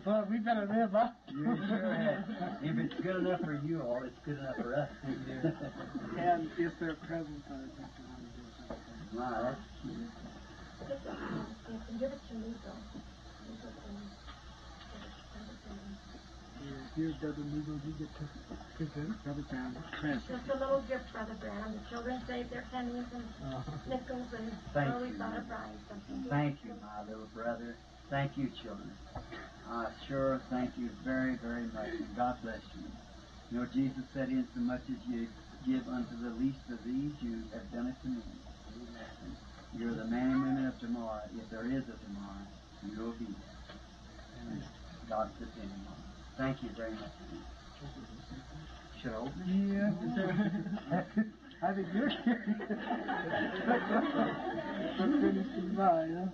Well, we better live up. You sure have. If it's good enough for you all, it's good enough for us. And if they're present, I think they want to do something. Wow, that's cute. You can give it to me, though. You can give it to Brother Branham. Here, Brother Neagle, you get to present Brother Branham's present. Just a little gift, Brother Branham. The children saved their pennies and nickels, and Thank so we you. thought of buying something. Thank you, my little brother. Thank you, children. I sure thank you very, very much, and God bless you. You know, Jesus said, insomuch as you give unto the least of these, you have done it to me. Amen. You're the man and women of tomorrow. If there is a tomorrow, you'll be there. And God's depending on it. Thank you very much. Should I open it? Yeah. I think you're curious. But finish mine, huh?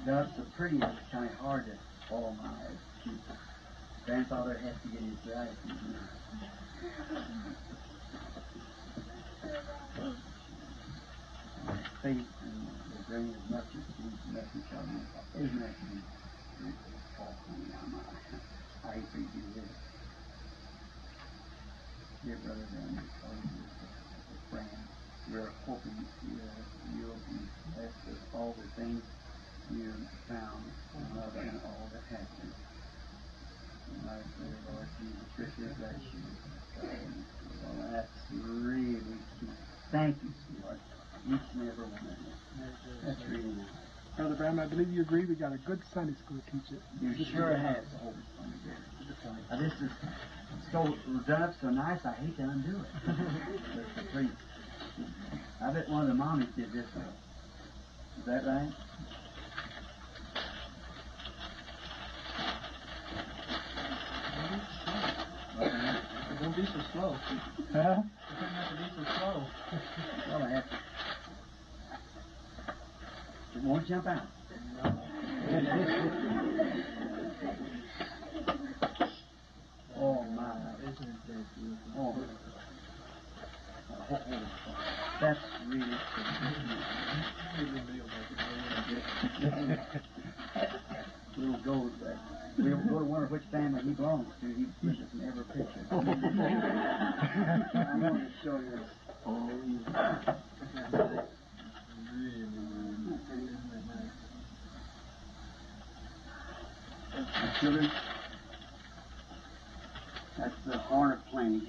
That's so pretty. It's kind of hard to follow my eyes. Grandfather has to get his glasses. Faith and the brain as much as the message of me. Isn't that cute? I hate for you to do this. Dear brother, friend, we're hoping you'll be blessed with all the things you found and love and all that happened. And I pray, Lord Jesus, richly bless you. Well, that's really cute. Thank you, sweetheart. Each and every one of you. That's really nice. Brother Branham, I believe you agree we got a good Sunday school teacher. You sure have. Now, this is so done up so nice, I hate to undo it. That's pretty. I bet one of the mommies did this one. Is that right? Don't be so slow. Huh? You don't have to be so slow. Well, I have to. It won't jump out. Oh, my. Isn't that beautiful? Oh. That's really cool. Little gold back. We'll go to wonder which family he belongs to. He pushes in every picture. I want to show you. Oh, yeah. Really, really. Isn't that nice? My children, that's the horn of plenty.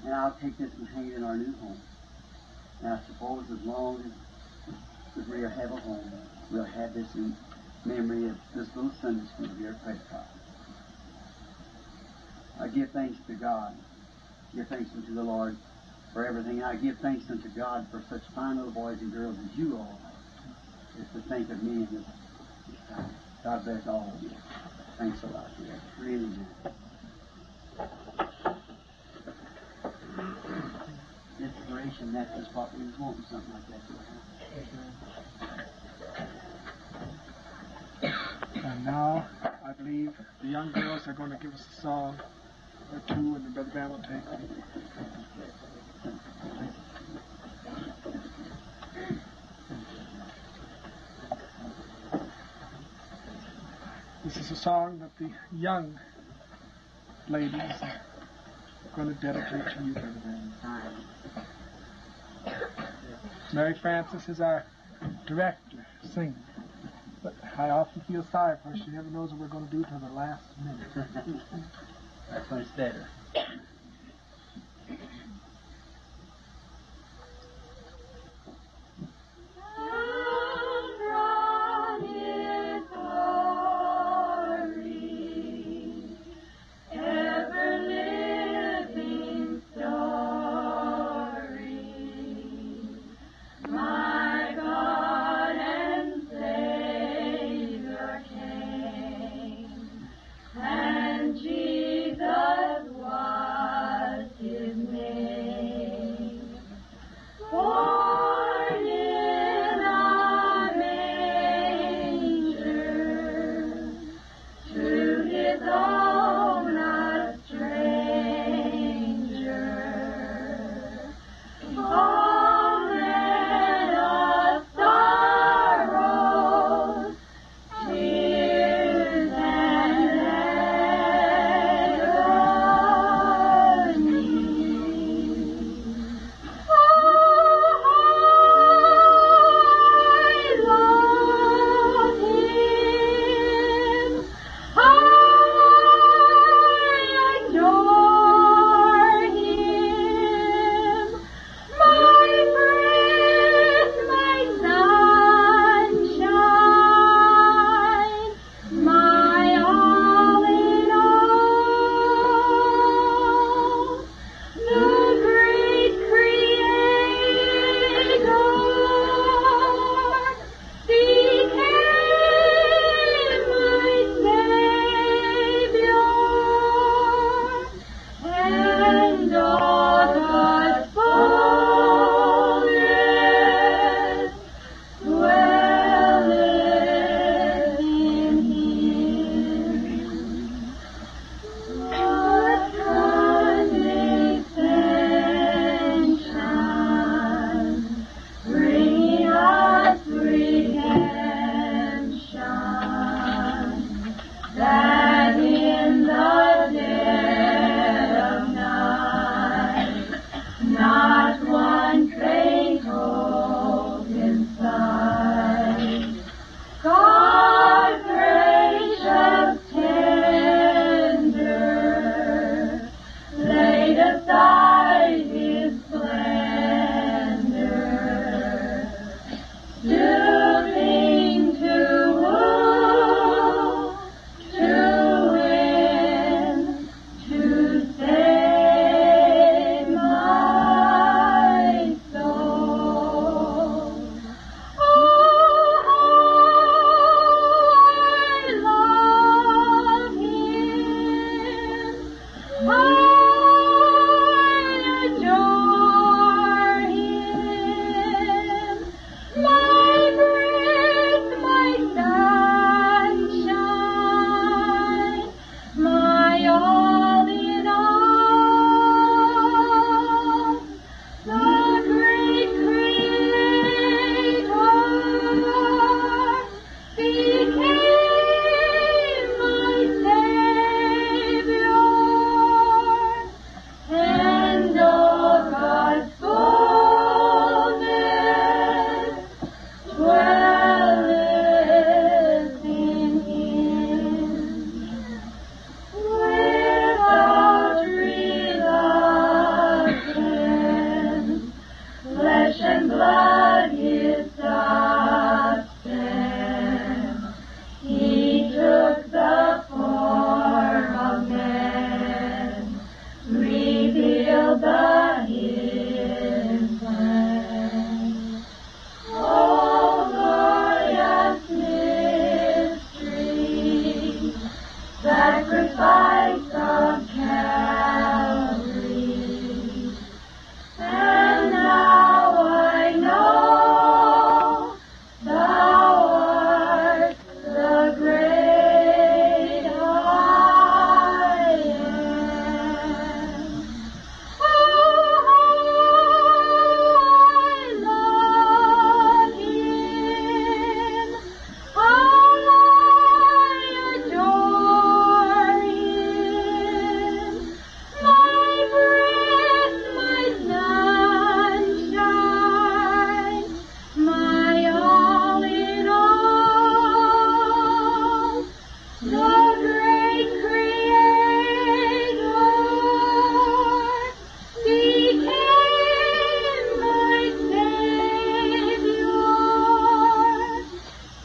And I'll take this and hang it in our new home. And I suppose as long as we have a home, we'll have this in memory of this little Sunday school here at Prescott. I give thanks to God. Give thanks unto the Lord for everything. I give thanks unto God for such fine little boys and girls as you all are. Just to think of me in this time. God bless all of you. Thanks a lot, dear. Really nice. Inspiration, that's just what we was wanting, something like that to happen. And now, I believe the young girls are going to give us a song or two, and the Brother Branham will take them. This is a song that the young ladies are going to dedicate to you, Brother Branham. Mary Frances is our director, singer. But I often feel sorry for her. She never knows what we're going to do till the last minute. That's when it's better. From His glory, ever living story, my God and Savior came, and Jesus was. all that His plan. Oh, glorious mystery, sacrifice of Calvary. And now I know Thou art the great I am. Oh, how I love Him. I adore Him. My breath, my sunshine, my all in all, the great Creator became my Savior,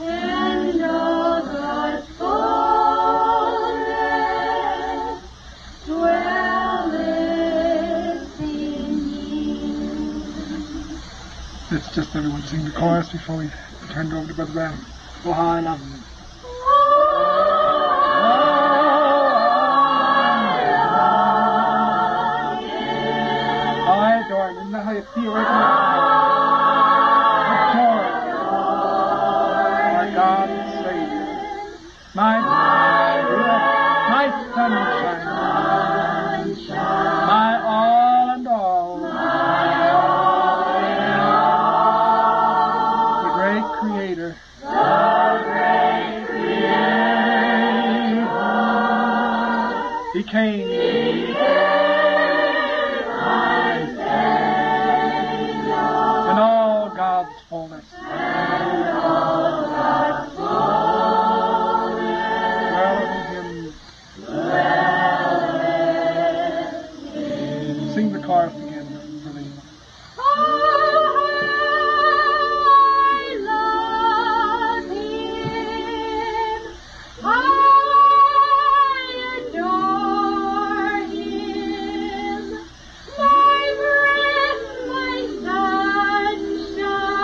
and all God's fullness dwelleth in me. Let's just everyone sing the chorus before we turn it over to Brother Brown. Oh, how I love Him. I adore Him. Isn't that how you feel right now? Adore our God and Savior. My my sunshine, my all and all, the great Creator. Became in all God's fullness. Dwelleth in Him. Sing the chorus again, Berlin. Oh, I love Him. I adore Him. My breath, my sunshine,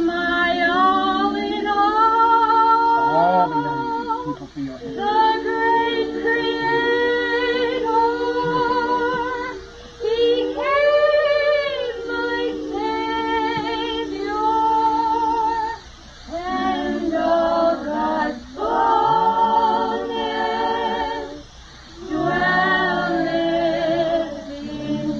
my all in All the young all. people feel it. The great Creator became my Savior, and all God's fullness dwelleth in Him.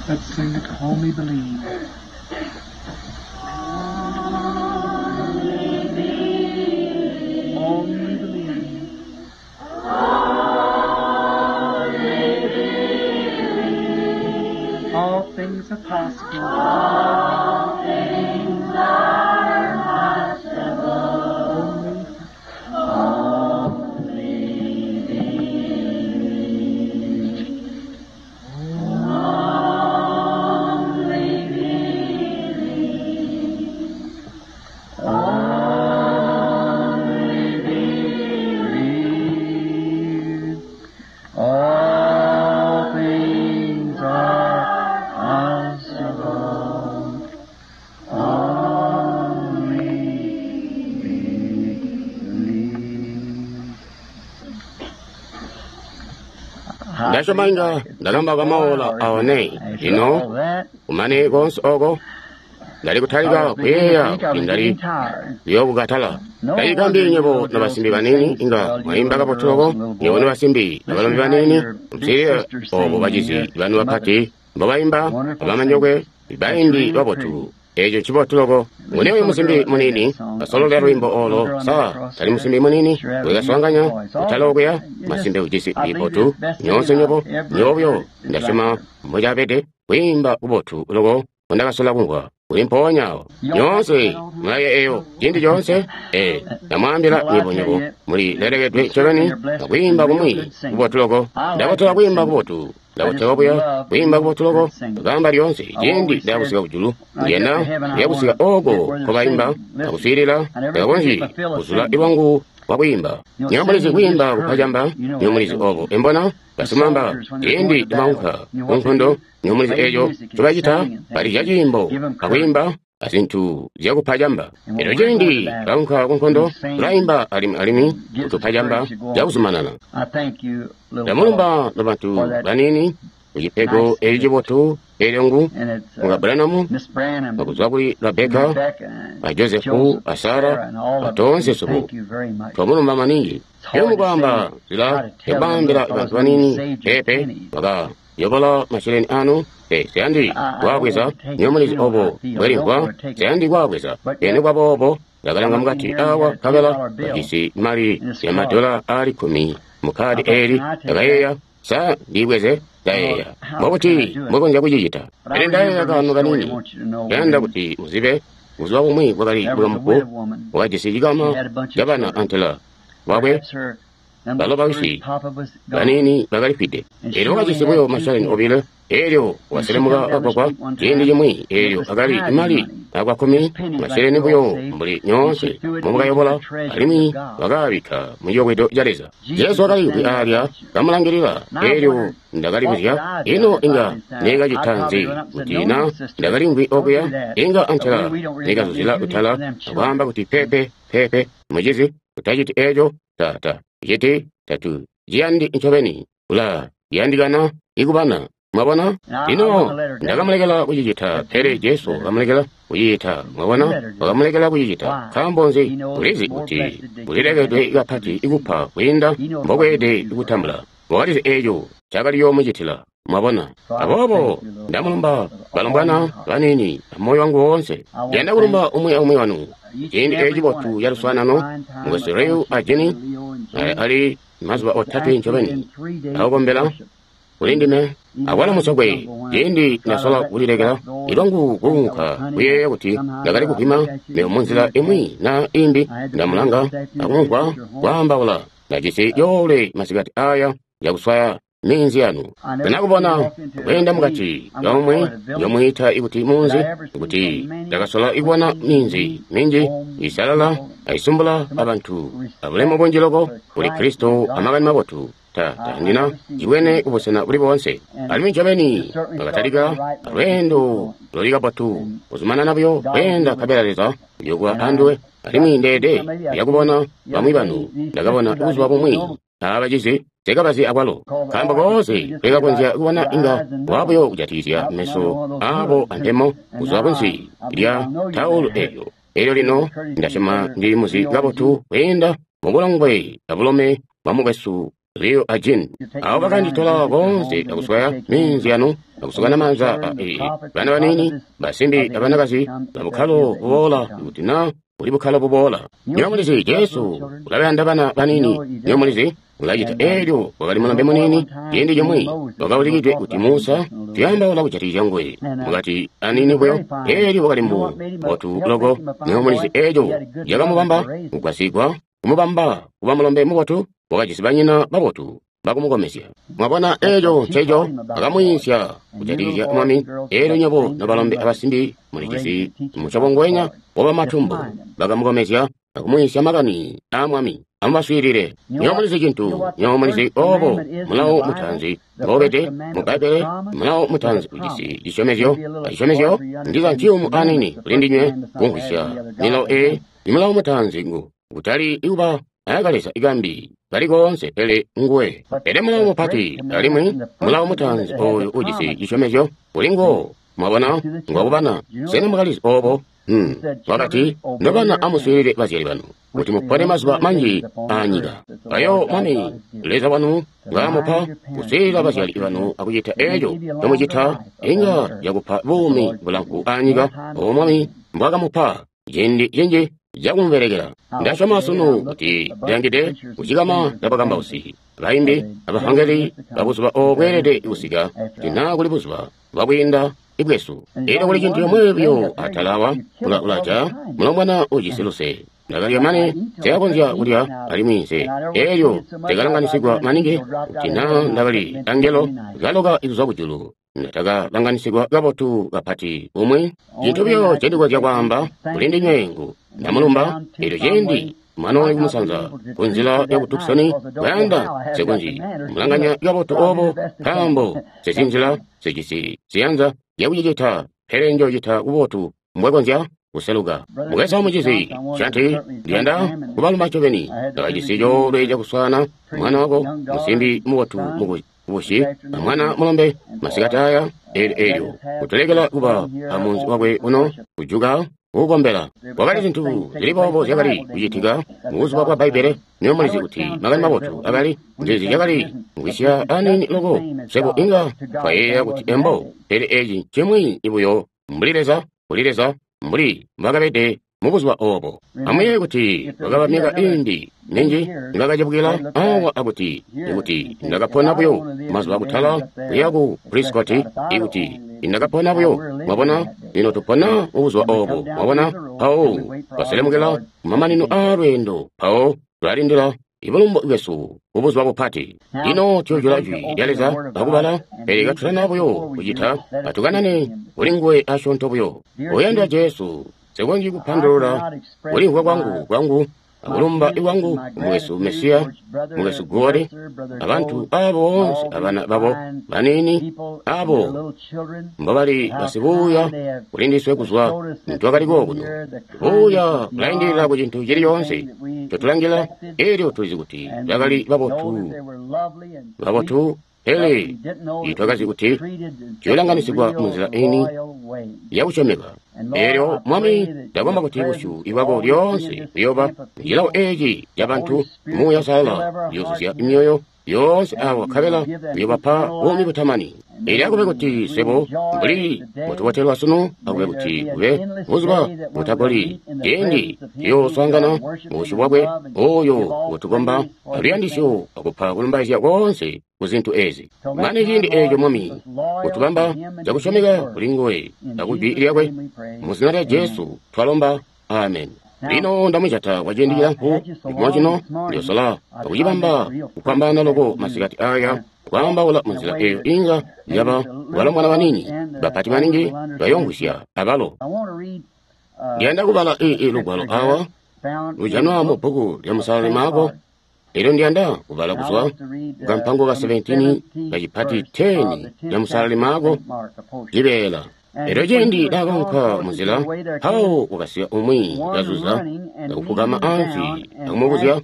Let's sing it, Only Believe. Only believe. All things are possible. All things are possible. Only Believe. All things are possible. Only believe. Ndashomainga ndalomba kwamaola aone ino kumane konse oko ndali kutalika kuyeya kuti ndali liyokukatala ndayikambi nyebo na basimbi banini inga mwayimba kapotuloko nyebo ni basimbi na balombi banini msile obo bacizi banu bapati mbobayimba abamanyokwe bayimbi babotu eco ncibotuloko ngunewe musimbi munini basolola lwimbo olo sawa tali musimbi munini wekaswanganya kutala okuya masimbe ujisi libotu nyonse nyobo nyobyo ndasyoma mbocapete kwiimba kubotu loko kundakasola kumvwa kuli mpoonya awo nyonse mulaye eyo cindi conse e ndamwambila nyebo nyebo muli lelekedwe ncobeni akwiimba kumwi kubotu loko ndabotola kwiimba kubotu ndabotewa buya kwiimba kubotu loko kamba lyonse cindi ndakusika kujulu ndiyena ndiyakusika oko kobayimba akuswiilila ndakakonzyi kuzula ilwangu wakwiimba. Nywebo mulizi kwiimba kupa camba, nywebo mulizi obo. Embona basimamba ciindi baunka ku nkondo, nywebo mulizi eco ncobacita, balizya ciimbo akwiimba azintu zyakupa camba. Elyo ciindi baunka ku nkondo, tulaimba alimwi alimwi kutupa camba cakuzumanana. Ndamulumba nobantu baniini kucipego eci cibotu elyo ngu muka Branham, akuzwa kuli Rebeka, a Josefu, a Sara, a toonse suku. Twamulumba maningi. Elyo mukwaamba nzila yakubambila bantu baniini pepe baka yobola masheleni anu, siyandi kwaabweza, nywebo mulizi obo bwelimvwa, siyandi kwaabweza. Ene kwaboobo ndakalanga mukati awa nkabela bajisi mali ya madola aali 10 mukhadi eli, ndakayeeya, sa ndiibweze? Ndayeeya, mbobuti mbokonzya kucicita? Pele ndayeeya kaano kanini, ndayanda kuti muzibe. Buzuba bumwi bwakali mukamufu wakajisi cikama cabana antela wakwe, balo bawisi baniini bakalifwide. Elyo wakajisi buyo mashaleni 2, elyo waselemuka kagwagwa ciindi cimwi, elyo akali mali akwa 10 masheleni buyo mbuli nyoonse mumukayobola, alimwi wakaabikka muciyobwedo ca Leza. Jesu wakaliimvwi aalya kamulangilila. Elyo ndakalibuzya, ino inga neekacita nzi kuti na ndakalimvwi okuya? Inga antela neekazuzila kutala akwaamba kuti, pepe pepe mucizi, utaciti eco, tata citi tatu ciyandi ncobeni, ula yandikana ikubana. Mwabona? Lino ndakamulekela kucicita, pele Jesu wakamulekela kucicita. Mwabona? Wakamulekela kucicita. Nkaambo nzi? Ulizi kuti ulilekedwe kapati ikupa kwiinda mbokweelede kutambula. Wakalizi eco cakali yoomucitila. Mwabona? Aboobo ndamulumba balombwana baniini amoyo wangu woonse. Ndiyanda kulumba umwi aumwi wanu. Ciindi eci cibotu ca luswaanano, mukwesu Leo a Jenny, ali mazuba 3 ncobeni akukombela kuli ndime. Akwalo musokwe, ciindi ndasola kulilekela ilwangu kuunka, kuyeeya kuti ndakali kupima mebo munzila imwi na imbi, ndamulanga akumvwa kwaambaula. Ndajisi coolwe masikati aya yakuswaya minzi yanu. Ndinakubona kweenda mukati yomwe yomwiita ikuti munzi, kuti ndakasola ikubona minzi minji isalala aisumbula abantu abulemu bunji loko kuli Kristo amakani mabotu. Tandina cibwene kubusena buli boonse. Alimwi ncobeni bakatalika lweendo luli kabotu, kuzumanana buyo kweenda nkabela Leza uyokuba anduwe. Alimwi ndeede yakubona bamwi banu, ndakabona buzuba bumwi abacizi sekabazi akwalo, nkaambo koonse lekakonzya kubona inga wabuyo kujatikizya meso abo antemo kuzwa kunsi lya taulu elyo. Elyo lino ndasyoma ndili muzi kabotu kweenda mubulongwe abulome bwa mukwesu Leo a Jean. Abo bakanditola koonse akuswaya minzi yanu akusukana maanza bana baniini basimbi abanakazi babukkalo buboola, kuti na buli bukkalo buboola. Nywebo mulizi Jesu ulabayanda bana baniini. Nywebo mulizi ulacita. Elyo wakali mulombe muniini ciindi cimwi wakaulikidwe kuti Musa, tuyambaula kujatikizya nguwe mukati aniini buyo. Elyo wakali mbotu loko. Nywebo mulizi eco yakamubamba kugwasigwa kumubamba kuba mulombe mubotu. Wakajisi banyina babotu bakumukomezya. Mwabona eco nceco akamwiisya kujatikizya Mwami. Elyo nywebo nobalombe abasimbi mulijisi musyobo ngwenya wabamatumbu bakamukomezya akumwiisya makani aa Mwami. Amubaswiilile. Nywebo mulizi cintu, nywebo mulizi obo mulawo mutaanzi mbobede mu Bbaibbele. Mulawo mutaanzi ujisi cisyomezyo, acisyomezyo ndiza nciyumu aniini kuli ndinywe kumvwisya milawo eyi. Mulawo mutaanzi ngu kutali ikuba ayakaleza ikambi kali koonse pele nguwe. Pele mulawo mupati alimwi mulawo mutaanzi oyu ujisi cisyomezyo kuli nguwo. Mwabona, ngwakubana. Sena mwakalizi obo? Wakati, nobana amuswiilile bazyali banu kuti mupone mazuba manji aanyika. Ayo Mwami Leza wanu ngaamupa kuswiilila bazyali banu akucita eco ncomucita, inga yakupa buumi bulamfu aanyika obo Mwami mbwakamupa ciindi cinji cakumubelekela. Ndasyoma sunu kuti ndiyangide kucikama cabakambausi, baimbi, abavangeli babuzuba obo bweelede kusika, kuti naa kuli buzuba bwakwiinda ibwesu. Elyo kuli cintu comwe buyo atalawa ulaja mulombwana ujisi luse. Ndakalya mane sekakonzya kulya alimwi nse. Elyo ndakalanganisigwa maningi kuti naa ndakali angelo kaloka kuzwa kujulu. Ndakalanganisigwa kabotu kapati umwi. Cintu buyo ncendikonzya kwaamba kuli ndinywe ngu ndamulumba. Elyo ciindi Manooli kumusanza kunzila yaku Tucson, kuyanda sekunji mulanganya kabotu obo, nkaambo sezinzila sejisi ziyanza zyakucicita, pele njoocita kubotu mbwekonzya kuseluka. Mukwesu mucizi Shanti, ndiyanda kubaluma ncobeni. Ndakajisi coolwe cakuswaana mwana wako musimbi mubotu mukubusi amwana mulombe masikati aya eelyo kutulekela kuba amunzi wakwe uno kujuka kukombela. Kwakali zintu zili boobo zyakali kucitika mubuzuba bwa Bbaibbele. Niyo mulizi kuti makani mabotu akali nzizi zyakali mvwisya aniini loko. Swebo inga twayeeya kuti embo, pele eci ncimwi buyo mbuli Leza, kuli Leza mbuli mbwakabede mubuzuba obo. Amuyeeye kuti kwakaba myaka iindi minji nibakacebukila awa akuti ikuti ndakapona buyo mazuba kutala kuya ku Prescott, ikuti indakapona buyo. Mwabona, lino tupona mubuzuba obo. Mwabona, mpawo twaselemukila kumamanino aa lweendo, mpawo tulalindila ibulumbu bwesu mubuzuba bupati. Lino tuyojula jwi lya Leza akubala, pele katutana buyo kucita, atukanane kuli nguwe asyoonto buyo. Oyandwa Jesu, nsikonzyi kupandulula kulimvwa kwangu akulumba kwangu mukwesu Mesiya, mukwesu Gode, abantu abo boonse abana babo baniini abo mbobali basibuuya kulindiswe kuzwa ntwakali kokuno. Buuya bulaindilila ku cintu cili coonse ncotulangila, elyo tulizi kuti bakali babotu, pele twakazi kuti tuyolanganisigwa munzila ini yakusyomeka. Elyo Mwami, ndakomba kuti busyu bwako lyoonse buyoba mucilawo eci cabantu. Muuya Uusalala uyoozuzya myoyo yoonse awa, nkabela uyobapa buumi butamani. Elyo akube kuti swebo mbuli mbutubotelwa sunu, akube kuti kube buzuba butagoli ciindi tuyooswaangana mubusyu bwakwe oyo ngutukomba aluyandisyo akupa kulumbaizya koonse ku zintu ezi. Mane ciindi eeco, Mwami, kutubamba cakusyomeka kuli nguwe akujwi lyakwe. Mu zina lya Jesu twalomba, amen. Lino ndamujata kwa ciindi cilamfu cikuwa cino, ndiyosola akucibamba kupambana loko masikati aya, kwaambaula munzila eyo inga yaba balombwana baniini bapati maningi bayomvwisya abalo. Ndiyanda kubala lugwalo awa lujanwa mu bbuku lya Musalali Maako. Elyo ndiyanda kubala kuzwa kukampango ka 17 kacipati 10 lya Musalali Maako cibeela. Elyo ciindi naakanka munzila, mpawo wakasiya umwi kazuza akufugama ansi akumubuzya,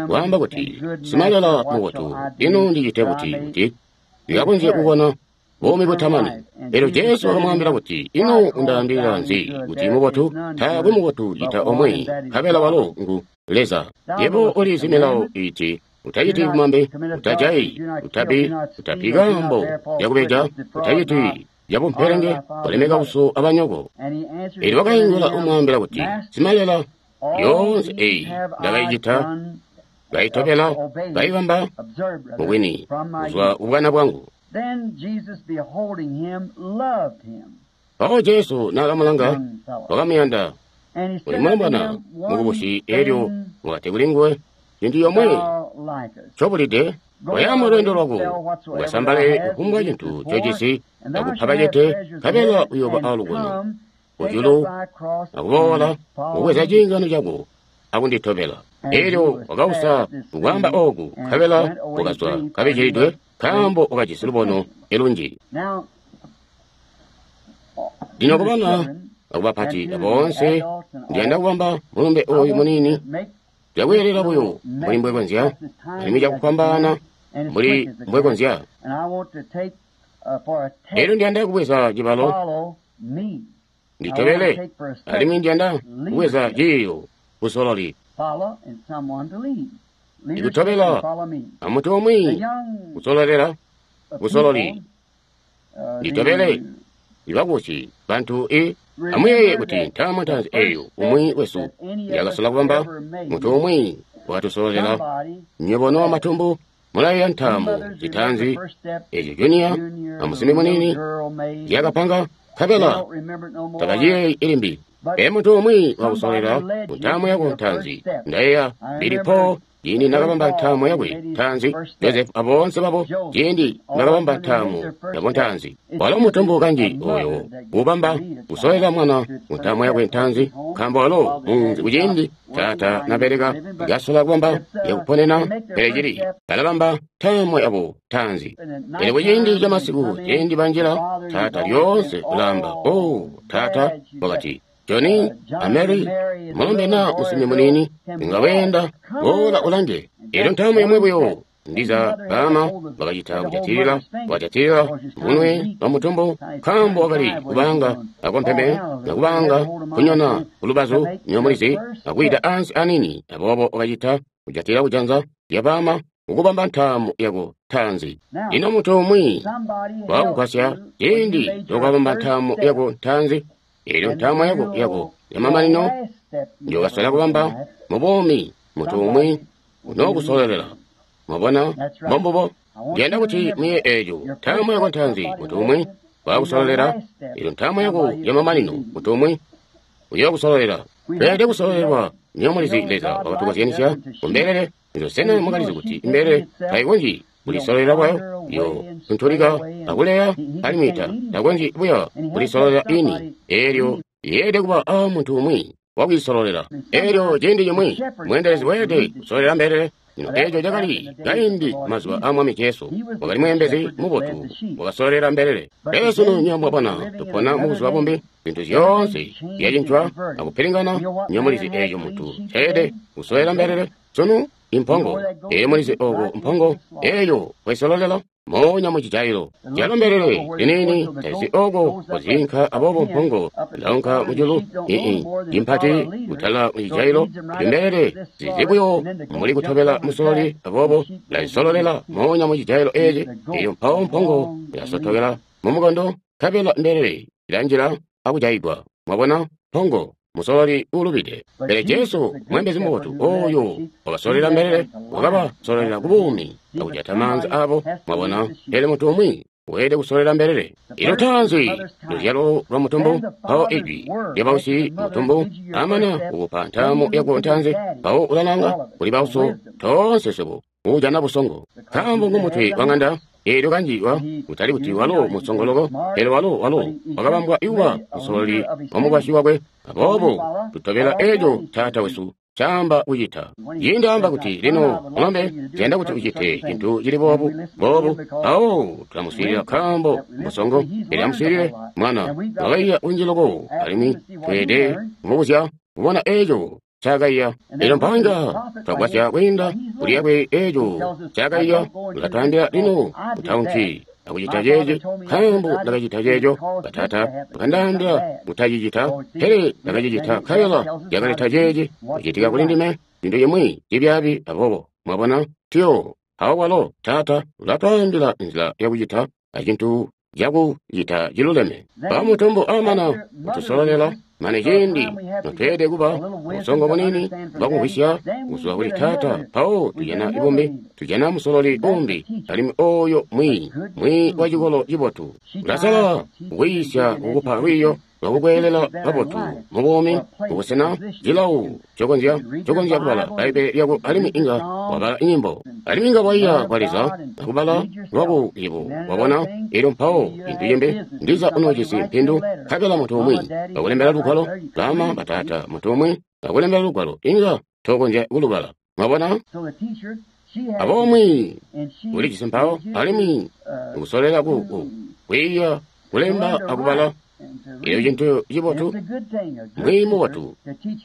kwaamba kuti, Simalela mubotu, ino ndicite buti kuti ndikakonzye kukona buumi butamani? Elyo Jesu wakamwaambila kuti, ino undaambila nzi kuti mubotu? Taakwe mubotu cita omwe, nkabela walo ngu Leza. Yebo ulizi milawo iti, utaciti bumambe, utajayi, utabi, utapi kaambo lyakubeja, utaciti yabumpelenge, olemeka uso abanyoko. Elyo wakaingula umwaambila kuti, Simalela, yoonse eyi ndakayicita, kayitobela, kayibamba mubwini kuzwa kubwana bwangu. Mpawo Jesu naakamulanga, wakamuyanda, uli mulombwana mukubusi. Elyo wakati kuli nguwe, cintu yomwe ncobulide, koya lweendo lwako, ukasambale kufumbwa cintu ncojisi akupa bacete, nkabela uyooba alukono kujulu, akuboola kubweza ciingano cako akunditobela. Elyo wakausa kukwaamba ooku, nkabela wakazwa kabijilidwe, nkaambo wakajisi lubono elunji. Lino kubana akubapati boonse, ndiyanda kubamba mulumbe ooyu muniini cakweelela buyo mbuli mbwekonzya, alimwi cakufwambaana mbuli mbwekonzya. Elyo ndiyanda kubweza cibalo nditobele, alimwi ndiyanda kubweza ciiyo busololi. Ikutobela amuntu umwi kusololela busololi, nditobele ibakusi bantu i amuyeeye kuti ntaamu ntaanzi eyo umwi wesu yakasola kubamba, muntu umwi wakatusololela. Nywebo no matumbu mulayeeya ntaamu zitaanzi ezyo Junior amusimbi muniini zyakapanga, nkabela tabaciyeeyi ilimbi. Pele muntu umwi wakusololera ku ntaamu yako ntaanzi. Ndayeeya Billy Paul ciindi nakabamba ntaamo yakwe ntaanzi, Joseph aboonse babo ciindi nakabamba ntaamo yabo ntaanzi. Walo mutumbu kanji oyo ubamba kusolela mwana mu ntaamo yakwe ntaanzi, nkaambo walo munzi kuciindi taata nabeleka kasola kubamba yakuponena, pele cili balabamba ntaamo yabo ntaanzi. Pele kuciindi ca masiku ciindi banjila, taata lyoonse ulaamba, "Oh, taata," wakati, Johnny a Mary, mulombe na musimbi muniini, inga weenda, boola ulange. Elyo ntaamo yomwe buyo, ndiza baama bakacita kujatilila, bakajatilila munwe wa mutumbu, nkaambo wakali kubanga akompeme, nakubanga kunyona kulubazu nyomulizi, akuyita ansi anini, aboobo wakacita kujatilila kujanza lya baama ukubamba ntaamo yako ntaanzi. Lino munthu umwi wakugwasya ciindi lokabamba ntaamo yako ntaanzi, elyo ntaamo yako yako yamamanino njokasola kubamba mu buumi, munthu umwi unookusolelela. Mwabona, mbombubo. Ndiyanda kuti muye eeco ntaamo yako ntaanzi, munthu umwi wakusolelela, elyo ntaamo yako yamamanino, munthu umwi uyookusolelela. Tweelede kusololelwa. Niyo mulizi Leza wakatukozyanisya kumbelele. Lino sena mwakalizi kuti imbelele tayikonzyi kulisololela bwayo? Yo tuntulika akuleya alimwi takonzyi buya kulisololela ini. Elyo yeelede kuba a muntu umwi wakuyisololela. Elyo ciindi cimwi mweendelezi weelede kusololela mbelele. Lino eeco cakali kaindi mazuba a Mwami Jesu. Wakali mweembezi mubotu, wakasololela mbelele. Pele sunu nywebo mwabona tupona mubuzuba bumbi, zintu zyoonse zyacincwa akupilingana. Nywebo mulizi eeco muntu ceelede kusololela mbelele sunu impongo. Eyo mulizi oko mpongo eyo kwesololela moonya mucijailo. Yalo mbelele liniini tazi oko kuzinka, aboobo mpongo ilaunka mujulu ii impati kutala mucijailo. Imbelele zizi buyo muli kutobela musololi, aboobo ilazisololela moonya mucijailo eeci. Eyo mpawo mpongo ilasotokela mumukondo, nkabela mbelele ilanjila akujaigwa. Mwabona, mpongo musololi ulubide. Pele Jesu mwembezi mubotu oyo wakasololela mbelele, wakabasololela ku buumi akujata maanza abo. Mwabona, pele muntu umwi weelede kusololela mbelele. Ilo taanzi luzyalo lwa mutumbu, mpawo ijwi lya bausi mutumbu amana kukupa ntaamo yako ntaanzi, mpawo ulalanga kuli bauso toonse swebo ujana busongo, nkaambo ngumutwe wa ng'anda. Eelyo kanjiwa kutali kuti walo musongoloko, pele walo wakabambwa ikuba musololi wa mukwasyi wakwe. Aboobo tutobela eeco taata wesu caamba kucita. Ciindi amba kuti, "Lino mulombe, ndiyanda kuti ucite cintu cili boobu boobu," awo tulamuswiilila nkaambo musongo. Pele amuswiilile mwana, wakaiya kunji loko, alimwi tweelede kumubuzya kubona eeco ncaakaiya. Elyo mpanga twagwasya kwiinda kuli yakwe eeco ncaakaiya, ulatwaambila, "Lino utaunki akucita ceeci, nkaambo ndakacita ceeco. Bataata bakandaambila kutacicita, pele ndakacicita, nkabela yakaleta ceeci kucitika kuli ndime, cintu cimwi cibyaabi." Aboobo mwabona, tuyo awo walo taata ulatwaambila nzila yakucita acintu cakucita ciluleme. Bamutumbu amana kutusololela mane ciindi notweelede kuba busongo bunini bwakumvwisya kuzwa kuli taata, mpawo tujana ibumbi, tujana musololi umbi, alimwi oyo mwiiyi, mwiiyi wa cikolo cibotu, ulasala kukwiisya kukupa lwiiyo lwakukweelela kabotu mu buumi, kubusena cilawu cokonzya kubala Bbaibbele lyako, alimwi inga wabala nyimbo, alimwi inga waiya kwa Leza akubala lwako yebo wabona. Elyo mpawo cintu cimbi, ndiza unoojisi mpindu, nkabela muntu umwi akulembela lugwalo, baama bataata, muntu umwi akulembela lugwalo, inga tokonzya kulubala. Mwabona? Aboobo mwiiyi ulijisi mpawo, alimwi ukusolela kwiiya kulemba akubala. Elyo cintu cibotu, mwiiyi mubotu,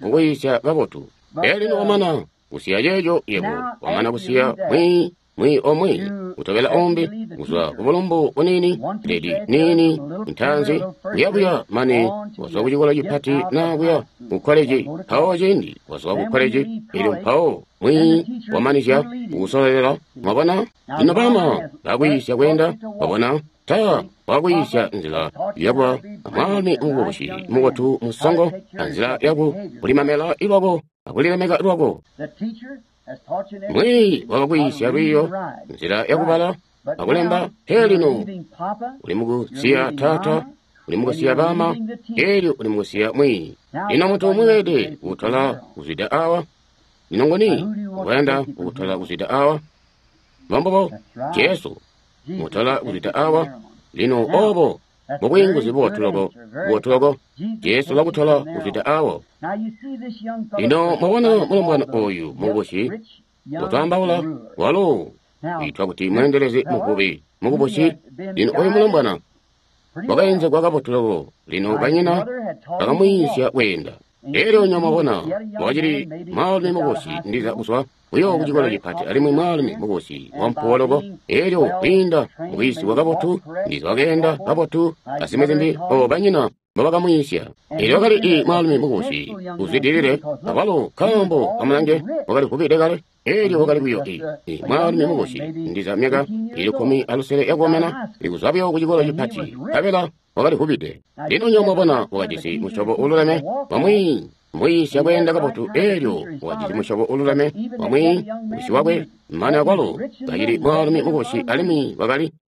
ukuyiisya kabotu. Pele lino wamana kusiya ceeco, yebo wamana kusiya mwiiyi, mwiiyi omwe kutobela umbi, kuzwa ku bulumbu buniini, ledi niini ntaanzi, kuyabuya mane wazwa ku cikolo cipati naa kuya ku koleji. Mpawo ciindi wazwa ku koleji, elyo mpawo mwiiyi wamanizya kukusololela. Mwabona? Lino baama bakwiisya kweenda, wabona, ta wakwiisya nzila yakuba mwaalumi mukubusi mubotu musongo, anzila yaku kulimamela ilwako akulilemeka lwako. Mwiiyi wakakwiisya lwiiyo, nzila yakubala akulemba. Pele lino uli mukusiya taata, uli mukusiya baama, elyo uli mukusiya mwiiyi. Lino muntu umwi weelede kutola kuzwida awa. Lino nguni ngoyanda kukutola kuzwida awa? Mbombubo, Jesu mutola kuzwida awa. Lino obo mubwiinguzi bubotu loko, bubotu loko. Jesu ulakutola kuzwida awo. Lino mwabona mulombwana oyu mukubusi utwaambaula, walo wiitwa kuti mweendelezi muvubi mukubusi. Lino oyu mulombwana wakaenzegwa kabotu loko. Lino banyina bakamwiisya kweenda. Elyo nyo mwabona wakacili mwaalumi mukubusi, ndiza kuzwa buyo ku cikolo cipati, alimwi mwaalumi mukubusi wampuwo loko. Elyo kwiinda mukwiisigwa kabotu, ndiza wakeenda kabotu, azimwi zimbi, o banyina mbobakamwiisya. Elyo wakali i mwaalumi mukubusi uzwidilile, akwalo nkaambo amulange wakali vubide kale. Elyo wakali buyo i mwaalumi mukubusi, ndiza myaka ili 16 yakukomena, ikuzwa buyo ku cikolo cipati, nkabela wakali vubide. Lino nyo mwabona wakajisi musyobo ululeme wamwi mwiisya kweenda kabotu. Elyo wakajisi musyobo ululeme wamwi wisi wakwe, mane akwalo kacili mwaalumi mukubusi, alimwi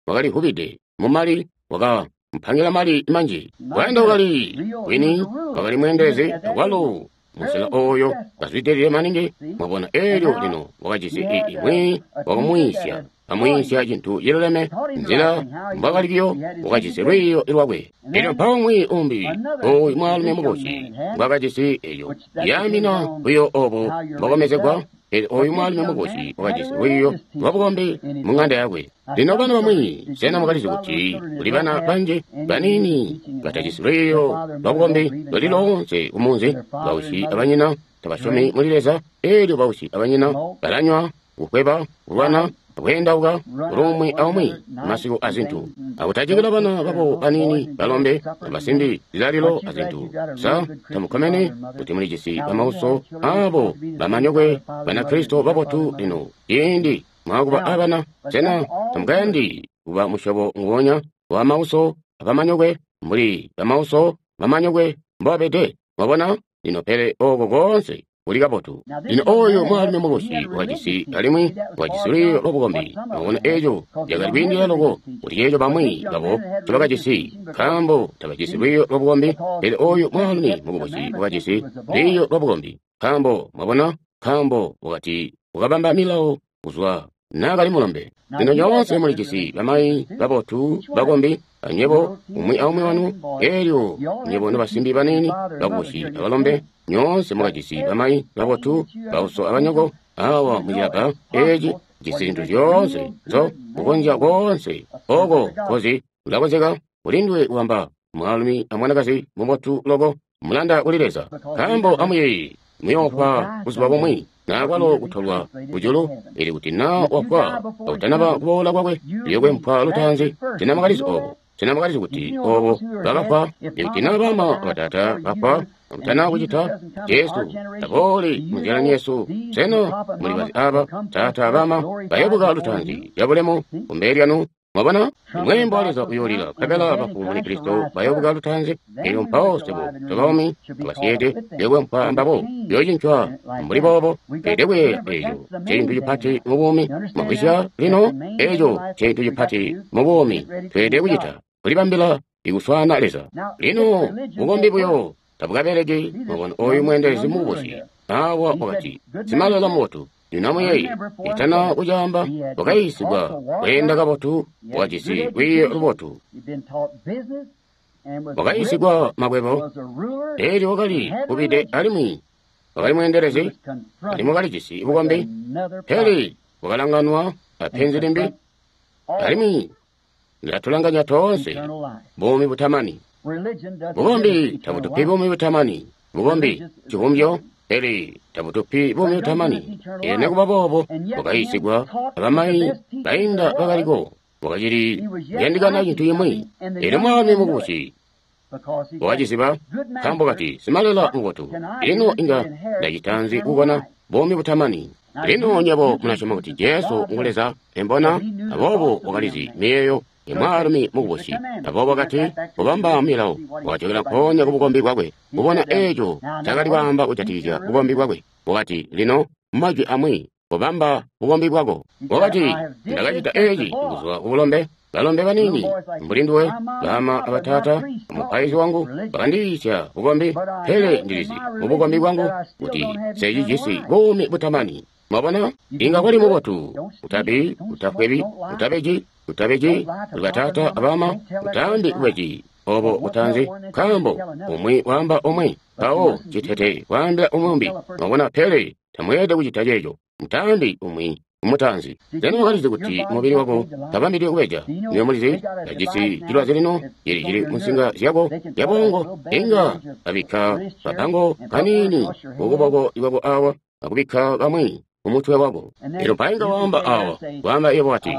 wakali vubide mumali, waka mpangila mali manji. Kweenda wakali wini, wakali mweendelezi akwalo musela oyo kazwidilile maningi. Mwabona, elyo lino wakajisi imwi wakumwiisya, amwiisya cintu ciluleme, nzila mbwakalikiyo, wakajisi lwiiyo lwakwe. Elyo mpawo mwi umbi oyu mwaalumi mukubusi mbwakajisi eyo yaamina buyo obo mbwakomezegwa. Elyo oyu mwaalumi mukubusi wakajisi lwiiyo lwabukombi mu ng'anda yakwe. Lino bana bamwi, sena mwakalizi kuti kuli bana banji baniini batajisi lwiiyo lwabukombi luli loonse kumunzi? Bausyi abanyina tabasyomi muli Leza. Elyo bausyi abanyina balanywa, kukweba, kulwana, kweendauka kulumwi aumwi masiku azintu, akutajikila bana babo baniini balombe abasimbi zilalilo azintu. Sa tamukkomene kuti mulijisi bamauso abo bamanyokwe Banakristo babotu? Lino ciindi mwakuba abana, sena tamukayandi kuba musyobo nguwonya wa mauso abamanyokwe mbuli bamauso bamanyokwe mbobabede? Mwabona? Lino pele oko koonse kuli kabotu. Lino oyu mwaalumi mukubusi wakajisi, alimwi wakajisi lwiiyo lwabukombi. Mwabona, eco cakali kwiindila loko kuti ceeco bamwi babo ncobakajisi, nkaambo tabajisi lwiiyo lwabukombi. Pele oyu mwaalumi mukubusi wakajisi lwiiyo lwabukombi, nkaambo, mwabona, nkaambo wakati wakabamba milawo kuzwa naakali mulombe. Lino nyoonse mulijisi bamayi babotu bakombi, anywebo umwi aumwi wanu. Elyo nywebo nobasimbi baniini bakubusi abalombe, nyoonse mwakajisi bamayi babotu, bauso abanyoko awa mucilabba eci, jisi zintu zyoonse nzo kukonzya koonse oko kozi ulakonzeka kulindwe kuwamba mwaalumi amwanakazi mubotu loko, mulanda kuli Leza. Nkaambo amuyeeye, muyoofwa buzuba bumwi, naakwalo kutolwa kujulu. Ili kuti naa wafwa akutanaba kuboola kwakwe, uyokwempwa lutaanzi. Sena mwakalizi obo? Sena mwakalizi kuti obo bakafwa? Ikuti naa bama abatata bafwa akutana kucita, Jesu tabooli munzila yesu. Sena muli bazi aba tata abama bayobuka lutaanzi lyabulemu kumbele lyanu? Mwabona, mweembo wa Leza uyoolila, nkabela bafu muli Kristo bayobuka lutaanzi. Elyo mpawo swebo tobaumi abasyeede tuyokwempwa ambabo, tuyoocincwa mbuli boobo. Tweelede kuyeeya eco ncecintu cipati mu buumi. Mwamvwisya? Lino eco ncecintu cipati mu buumi tweelede kucita, kulibambila ikuswaana Leza. Lino bukombi buyo tabukabeleki. Mwabona, oyu mweendelezi mukubusi awa wakati, simalela mubotu. Lino amuyeeye, itana kucaamba, wakayiisigwa kweenda kabotu, wakajisi lwiiyo lubotu, wakayiisigwa makwebo, elyo wakali vubide alimwi wakali mweendelezi, alimwi wakalijisi bukombi. Pele wakalanganwa apenzi limbi, alimwi lilatulanganya toonse, buumi butamani. Bukombi tabutupi buumi butamani. Bukombi civumbyo, pele tabutupi buumi butamani. Elyo nekuba boobo wakayiisigwa abamayi bainda bakaliko, wakacili kuyandikana cintu cimwi. Elyo mwaalumi mukubusi wakaciziba, nkaambo kati, simalela mubotu, lino inga ndacita nzi kukona buumi butamani? Lino nywebo mulasyoma kuti Jesu ngu Leza, embona? Aboobo wakalizi miyeeyo imwaalumi mukubusi. Aboobo wakati kubamba milawo, wakajokela nkoonya kubukombi bwakwe, kubona eco cakali kwaamba kujatikizya bukombi bwakwe. Wakati, lino mumajwi amwi, Kobamba bukombi bwako. Wakati, ndakacita eci kuzwa kubulombe. Balombe banini mbuli nduwe, bama abatata, mupaizi wangu bakandiyiisya bukombi, pele ndilizi mubukombi bwangu kuti secijisi buumi butamani. Mwabona, inga kwali mubotu, utabi, utafwebi, utabeji, utabeji, batata abama, utaambi kubeji obo butanzi, nkaambo umwi waamba umwi, mpawo citete waambila umwi. Mwabona, pele tamweelede kucita ceeco, mutaambi umwi umutanzi. Sena wakalizi kuti mubili wako tabambidwe kubeja? Niwe mulizi tajisi cilwazi lino cili cili munsinga zyako zyabongo. Inga babikka kapango kanini kukuboko kwako awa akubikka kamwi kumutwe wako. Elyo mpainga waamba awa waamba iye wati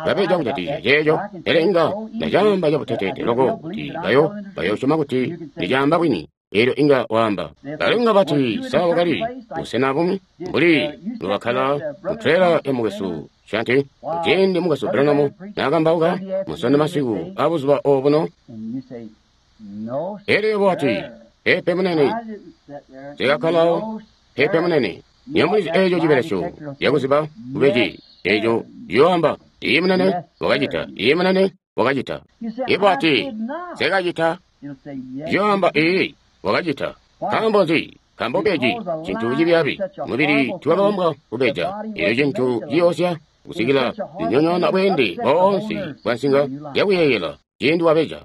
ndabeja kujatisya ceeco, pele inga ndacaamba cabuteteete loko kuti bayo bayosyoma kuti ndicaamba bwini. Elyo inga waamba balinga bati sawa wakali busena bumwi mbuli lwakhala mutrela ya mukwesu Shanti kuciindi mukwesu Branham naakambauka musonde masiku abuzuba obuno. Elyo yebo wati, pepe munene, sikakkalawo, pepe munene. Niyo mulizi eeco cibelesyo yakuziba kubeji eeco ciyoamba iye munene wakacita, iye munene wakacita. Yebo wati, sikacita. Ciyoamba iyi wakacita. Nkaambo nzi? Nkaambo keeci cintu cibyaabi mubili tiwakabambwa kubeja. Elyo cintu ciyoosya kusikila zinyonyoona bweende boonse bwa nsinga yakuyeeyela ciindi wabeja.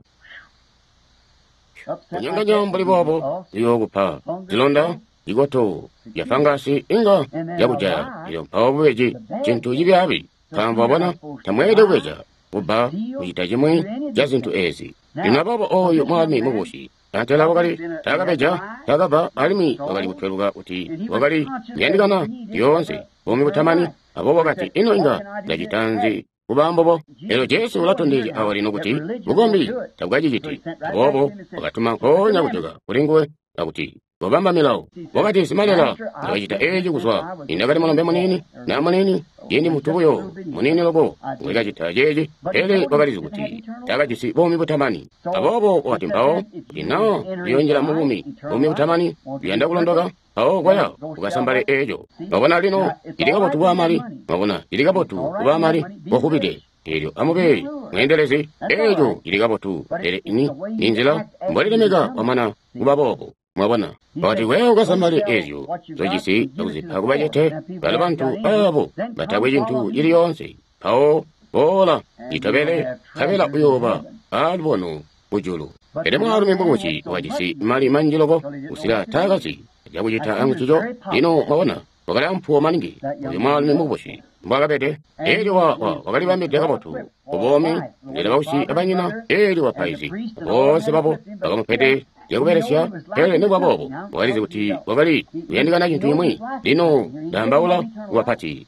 Kunyonganya mbuli boobo ziyookupa zilonda, zikoto ya fangasi inga yakujaya. Elyo mpawo bubeji cintu cibyaabi. Nkaambo wabona, tamweelede kubeja, kubba, kucita cimwi ca zintu eezi. Lino aboobo ooyu mwaalumi mubusi antela wakali taakabeja, taakabba, alimwi wakali kutweluka kuti wakali kuyandikana lyoonse buumi butamani. Aboobo wakati, ino inga ndacita nzi kuba mbobo? Elyo Jesu ulatondezya awa lino kuti bukombi tabukaciciti. Aboobo wakatuma nkoonya kujoka kuli nguwe akuti kobamba milawo. Wakati, simalela, ndakacita eci kuzwa nindakali mulombe muniini na muniini, ciindi muntu buyo muniini loko ngwekacita ceeci. Pele wakalizi kuti takajisi buumi butamani. Aboobo wakati mpawo, kuti naa uyoonjila mu buumi, buumi butamani, uyanda kulondoka, mpawo kwaya ukasambale eeco. Mwabona lino, cili kabotu kuba mali. Mwabona, cili kabotu kuba mali kohubide. Elyo amube mweendelezi, eeco cili kabotu. Pele ini ni nzila mbolilemeka kwamana kuba boobo. Mwabona, wakati wewe ukasambale ezyo zojisi akuzipa kubacete balo bantu abo batakwe cintu cili yoonse. Mpawo boola nditobele, nkabela uyooba alubono kujulu. Pele mwaalumi mukubusi wakajisi mali manji loko kusika taakazi cakucita ancico. Lino mwabona, wakali ampuwo maningi uyu mwaalumi mukubusi mbwakabede. Elyo wakalibambide kabotu kubomi ndele bausi abanyina, elyo bapaizi boonse babo bakamupede zyakubelesya. Pele nikuba boobo wakalizi kuti wakali kuyandikana cintu cimwi. Lino ndaambaula kubapati,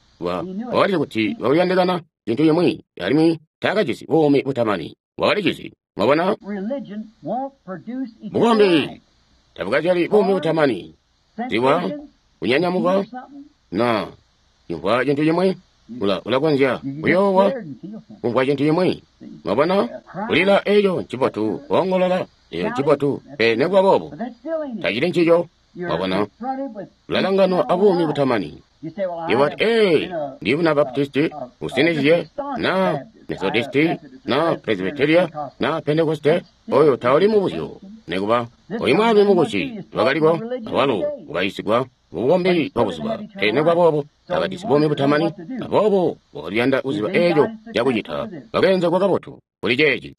wakalizi kuti wakuyandikana cintu cimwi, alimwi taakajisi buumi butamani. Wakalijizi. Mwabona, bukombi tabukazyali buumi butamani. Ziwa kunyanyamuka na kumvwa cintu cimwi, ulakonzya kuyoowa kumvwa cintu cimwi. Mwabona, kulila eeco ncibotu, koongolola eeco ncibotu, pele nikuba boobo tacili ncico. Mwabona, ulalanganwa abuumi butamani. Iwati, ee, ndi muna Baptisti usinizye na Methodisti na Presbyteria na Pentekoste. Oyo tauli mubuzyo. Nikuba oyu mwaalumi mukusi wakaliko awalo ukayisigwa mubukombi bwa buzuba, pele nikuba boobo takajisi buumi butamani. Aboobo wakaliyanda kuziba eeco cakucita. Wakeenzegwa kabotu kuli ceeci.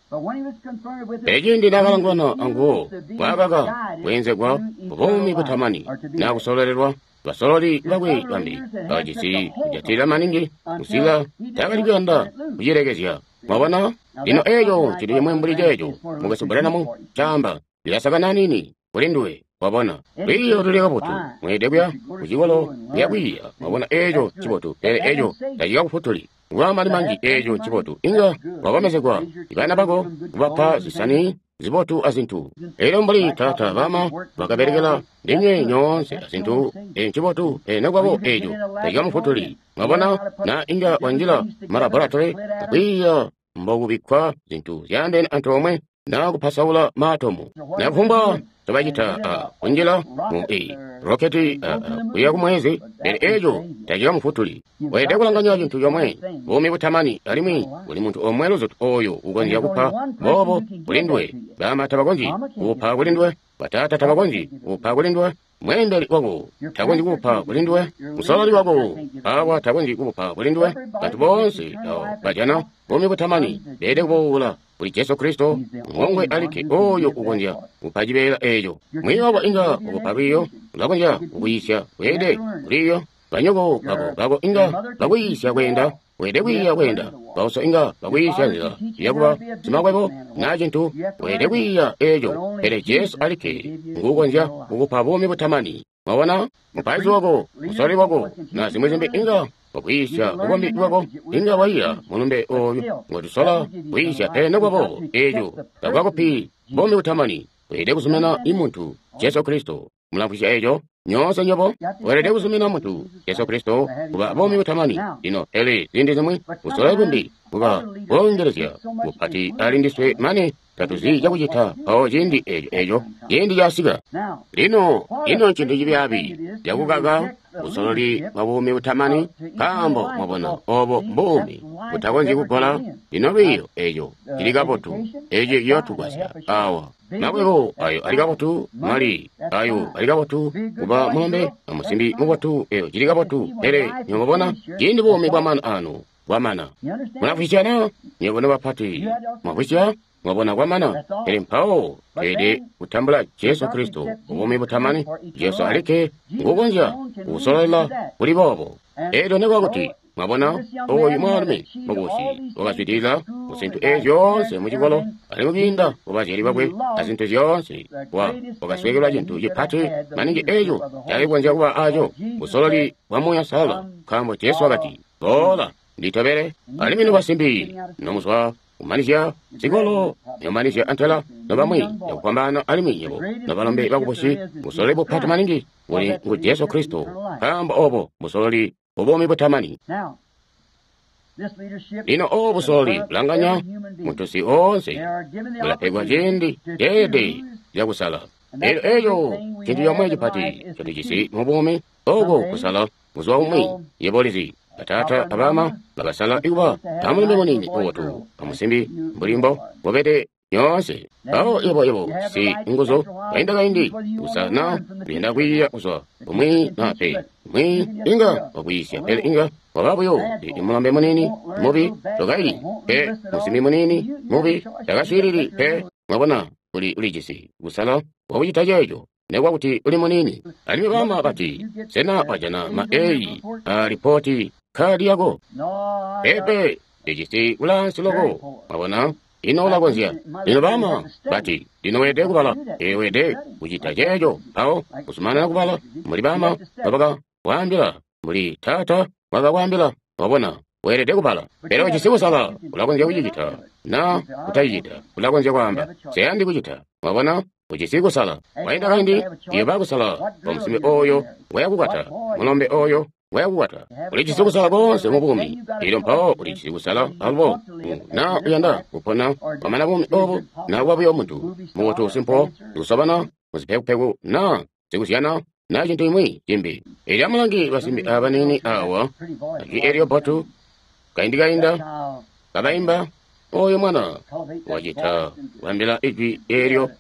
Pele ciindi naakalangwana anguwo, waakaka kweenzegwa kubuumi butamani naa kusololelwa. Basololi bakwe bambi bakajisi kujatilila maningi kusika taakali kuyanda kucilekezya. Mwabona, lino eeco cili cimwi mbuli ceeco mukwesu Branham caamba, lilasakana nini kuli nduwe. Wabona, lwiiyo luli kabotu, mweelede kuya kucikolo kuya kwiiya. Mwabona, eeco ncibotu, pele eeco tacikakufutuli. Kuba mali manji, eeco ncibotu, inga wakomezegwa ibana bako kubapa zisani zibotu azintu. Elyo mbuli tata bama bakabelekela ndinywe nyoonse azintu, eeco ncibotu, pele nekuba eeco tacikamufutuli. Mwabona, na inga wanjila malaboratory akwiiya mbokubikkwa zintu zyaandeene antoomwe na kupasaula maatomu na kufumbwa ncobacita a kunjila mu i roketi kuya ku mwezi, pele eco tacikamufutuli. Weelede kulanganya cintu comwe, buumi butamani, alimwi kuli muntu omwe luzutu oyo ukonzya kupa boobo kuli nduwe. Bama tabakonzyi kuupa kuli nduwe, bataata tabakonzyi kuupa kuli nduwe, mweembeli wako takonzyi kuupa kuli nduwe, musololi wako awa takonzyi kuupa kuli nduwe. Bantu boonse abo bajana buumi butamani beelede kuboola kuli Jesu Kristo, ngongwe alikke oyo ukonzya kupa cibeela eco. Mwiiyi wako inga ukupa lwiiyo, ulakonzya kukuyiisya weelede lwiiyo. Banyoko bako inga bakuyiisya kweenda, weelede kwiiya kweenda. Bauso inga bakuyiisya nzila yakuba simakwebo naa cintu, weelede kwiiya eco. Pele Jesu alikke nguukonzya kukupa buumi butamani. Mwabona, mupaizi wako, musololi wako, na zimwi zimbi inga wakuyiisya bukombi bwako, inga waiya mulumbe oyu ngotusola kuyiisya, pele nokuba boobo eco takukakupi buumi butamani. Weelede kuzumina imuntu Jesu Kristo. Mulamvwisya eco nyoonse nyobo? Weelede kuzumina muntu Jesu Kristo kuba buumi butamani. Lino pele ziindi zimwi busololi bumbi buba bwongelezya bupati ali ndiswe mane tatuzi cakucita mpawo ciindi eco eco ciindi casika. Lino ino ncintu cibyaabi cakukaka busololi bwa buumi butamani, nkaambo mwabona obo mbuumi butakonzyi kugola. Lino lwiiyo eco cili kabotu, eco ciyootugwasya awa. Makwebo ayo ali kabotu, mali ayo ali kabotu, kuba mulombe amusimbi mubotu, eyo cili kabotu. Pele nywebo ciindi buumi bwamana anu bwamana. Mulamvwisyana nywebo nobapati, mwamvwisya? Mwabona kwamana. Pele mpawo tweelede kutambula Jesu Kristo buumi butamani. Jesu alikke nguukonzya kusololela kuli boobo. Eelyo nekuba kuti mwabona oyu mwaalumi mukubusi wakazwidilila mu zintu eezi zyoonse mu cikolo, alimwi kwiinda kubazyali bakwe azintu zyoonse, wakasweekelwa cintu cipati maningi eco cakali kukonzya kuba aco, busololi bwa Muuya Uusalala, nkaambo Jesu wakati, "Boola, nditobele." Alimwi nobasimbi nomuzwa kumanizya zikolo, nomanizya antela nobamwi cakufwambaana, alimwi nyebo nobalombe bakubusi, busololi bupati maningi buli ngu Jesu Kristo, nkaambo obo busololi bubuumi butamani. Lino obo busololi bulanganya muntusi oonse, bulapegwa ciindi ceelede cakusala. Elyo eco cintu comwe cipati ncotujisi mu buumi, oko kusala buzuba bumwi. Yebo ulizi, bataata abama bakasala ikuba amulombe muniini mubotu amusimbi mbuli mbo bobede nyoonse. Mpawo yebo si nguzu kainda kaindi kusala na kuyanda kwiiya kuzwa umwi na pe umwi inga wakwiisya, pele inga waba buyo ndi mulombe muniini mubi tokaili pe, musimbi muniini mubi takaswiilili pe. Mwabona, ulijisi kusala wakucita ceeco nekuba kuti uli muniini. Alimwi bama bati, "Sena wajana ma A a ripoti kadi yako?" Pepe, ndijisi kulaansi loko. Mwabona, ino ulakonzya. Lino bama bati, "Lino weelede kubala, weelede kucita ceeco." Mpawo kuzumanana kubala, mbuli bama babakakwaambila, mbuli taata wakakwaambila. Wabona, weelede kubala. Pele ujisi kusala, ulakonzya kucicita na kutacicita. Ulakonzya kwaamba, "Nseyandi kucita." Mwabona, ujisi kusala. Wainda kaindi iyoba kusala kwa musimbi oyo wayakukwata, mulombe oyo wayakukwata. Ulijisi kusala konse mu buumi. Elyo mpawo ulijisi kusala alubo na uyanda kupona kwamana buumi obu, na kuba buyo muntu mubotu simpo, sikusobana muzipekupeku na sikuzyana na cintu imwi cimbi. Elyo amulangi basimbi aba baniini awa, ajwi elyo bbotu, kaindi kainda kabaimba, oyo mwana wacita kwambila ijwi elyo,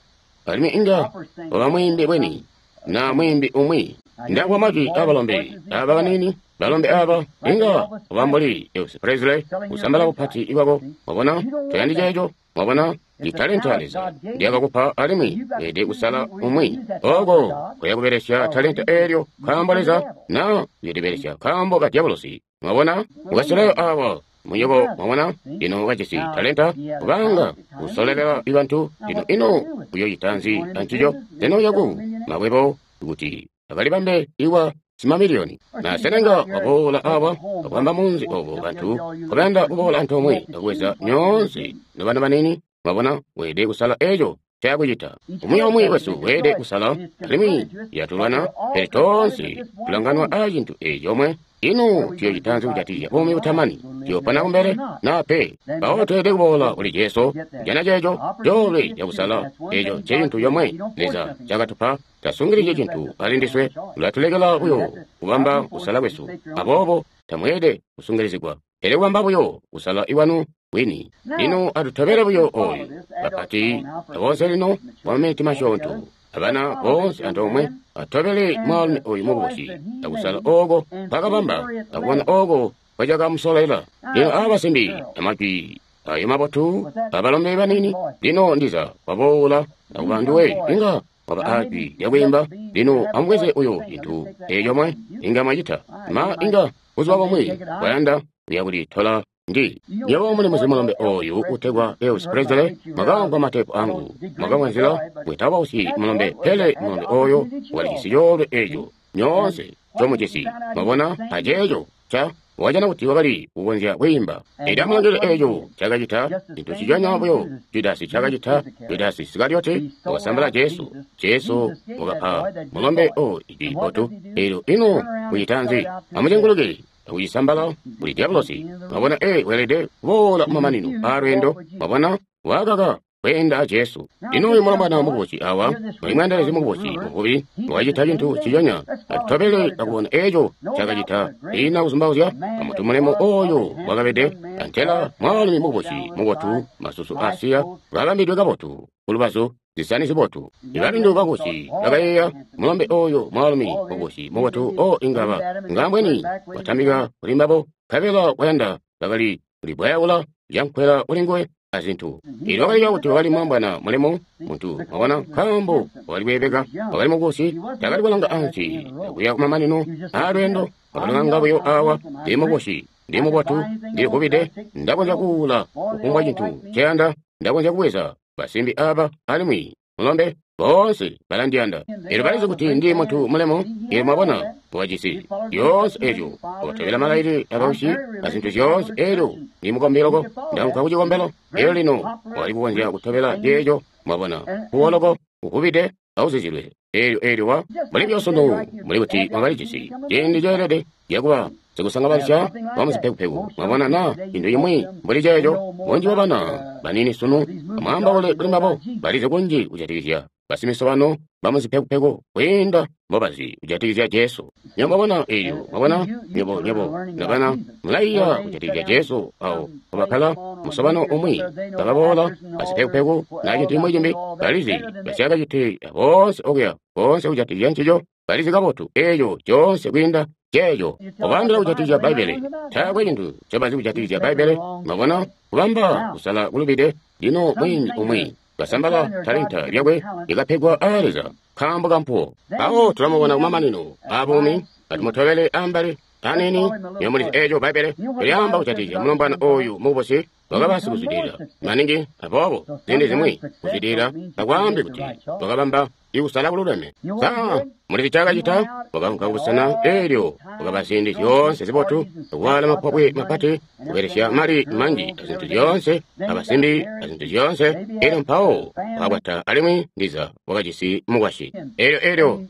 alimwi inga waba mwiimbi bweni na mwimbi umwi. Ndamvwa majwi abalombe aba baniini, balombe aba inga waba mbuli Elvis Presley, kusambala bupati bwako. Mwabona, toyandi ceeco. Mwabona, ndi talenta Leza ndyakakupa, alimwi weelede kusala umwi oko kuya kubelesya talenta eelyo nkaambo Leza, na uyolibelesya nkaambo ka dyabulosi. Mwabona, mukaseleyo awa munyoko. Mwabona, lino kajisi talenta kubanga kusolelela bantu. Lino ino uyoyita nzi ancico? Sena uyaku makwebo kuti akalibambe iwa simamiliyoni? Na senenga waboola awa akubamba munzi obo bantu kabayanda kuboola antoomwe akuweza nyoonse nobana banini. Mwabona, weelede kusala eco. cakucita. Umwi aumwi wesu weelede kusala, alimwi yatulwana, pele toonse tulanganwa a cintu eeci comwe. Ino tuyoocita nzi kujatikizya buumi butamani? Tuyopona kumbele naa pe? Mpawo tweelede kuboola kuli Jesu kujana ceeco coolwe cakusala. Eeco ncecintu comwe Leza cakatupa. Tasungilizye cintu ali ndiswe, ulatulekela buyo kubamba kusala kwesu. Aboobo tamweelede kusungilizigwa, pele kubamba buyo kusala iwanu wini. Lino atutobele buyo oyu bapati aboonse lino kwamaminiti masyoonto. Abana boonse antoomwe atobele mwaalumi oyu mukubusi akusala ooko kwakabamba akubona ooko kwacakamusolela. Lino abasimbi amajwi ayo mabotu abalombe banini lino ndiza waboola akuba nduwe inga waba ajwi lyakwiimba. Lino amubweze uyo cintu eeco mwe inga mwacita ma inga buzuba bumwi bwayanda uya kulitola ndi nyewe muli muzi mulombe oyu utegwa Elvis Presley. Mwakamvwa matepu angu, mwakamvwa nzila bwetawausi mulombe, pele mulombe oyo walijisi coolwe eeco nyoonse comujisi. Mwabona aceeco ca wajana kuti wakali kukonzya kwiimba. Elyo amulangile eeco cakacita cintu ciconya buyo Judasi cakacita. Judasi Isikarioti wakasambala Jesu. Jesu wakapa mulombe o ijwi botu. Elyo ino kucita nzi? Amucenguluke akucisambala kuli diabolosi. Mwabona, weelede kuboola kumamanino aalweendo. Mwabona, wakaka kweenda a Jesu. Lino uyu mulombwana mukubusi awa, muli mweendelezi mukubusi muvubi, wakacita cintu ciconya. Atutobele akubona eeco cakacita. Ina kuzumbauzya amuntu mulemu oyo wakabede, antela mwaalumi mukubusi mubotu, masusu asiya, kabambidwe kabotu kulubazu, zisani zibotu. Ibalindu bakubusi bakayeeya mulombe oyo mwaalumi mukubusi mubotu o ingaba ngambweni watambika kuli mbabo, nkabela wayanda bakali kulibwayaula lyankwela kuli nguwe azintu. Elyo wakaliba kuti wakali mwambwana mulemu muntu, mwabona, nkaambo wakali kweebeka, wakali mukubusi, takali kulanga ansi akuya kumamanino aalweendo. Wakalanga buyo awa, ndi mukubusi, ndi mubotu, ndilivubide, ndakonzya kuula kufumbwa cintu nceyanda, ndakonzya kubweza basimbi aba alimwi mulombe boonse balandiyanda. Elyo balizi kuti ndi muntu mulemu. Elyo mwabona wakajisi zyoonse ezyo, wakatobela malailile abawisi azintu zyoonse. Elyo ndi mukombi loko, ndaunka ku cikombelo. Elyo lino wakali kukonzya kutobela ceeco, mwabona, kuwo loko uvubide awuzizilwe. Elyo wa muli byosunu muli kuti mwakalijisi ciindi ceelede cakuba sikusangabalisya wamuzipekupeku, mwabona, na cintu cimwi mbuli ceeco. Bunji bwa bana banini sunu amwaambaule kuli mbabo, balizi kunji kujatikizya basimisobano bamuzipekupeku kwiinda mbobazi kujatikizya Jesu. Nywebo mwabona eelyo, mwabona, nywebo nabana mulaiya kujatikizya Jesu awo mpobakkala musobano umwi, bakaboola basipekupeku na cintu cimwi cimbi, balizi basyakacite boonse okuya boonse kujatikizya ncico, balizi kabotu eeco coonse kwiinda ceeco. Ubaambila kujatikizya Bbaibbele, taakwe cintu ncobazi kujatikizya Bbaibbele. Mwabona, kubamba kusala kulubide. Lino mwiimbi umwi kasambala talenta lyakwe lyakapegwa aa Leza nkaambo kampuwo. Mpawo tulamubona kumamanino aabuumi. Atumutobele ambali aniini. Nywebo mulizi eeco Bbaibbele lyaamba kujatikizya mulombwana oyu mukubusi wakaba sikuzwidilila maningi. Aboobo ziindi zimwi kuzwidilila takwaambi kuti wakabamba ikusala kululeme. Sa mulizi cakacita? Wakaunka kubusena eelyo wakaba ziindi zyoonse zibotu, kuwaala mapobwe mapati, kubelesya mali manji azintu zyoonse, abasimbi azintu zyoonse. Elyo mpawo wakakwata alimwi ndiza wakajisi mukwasyi. Elyo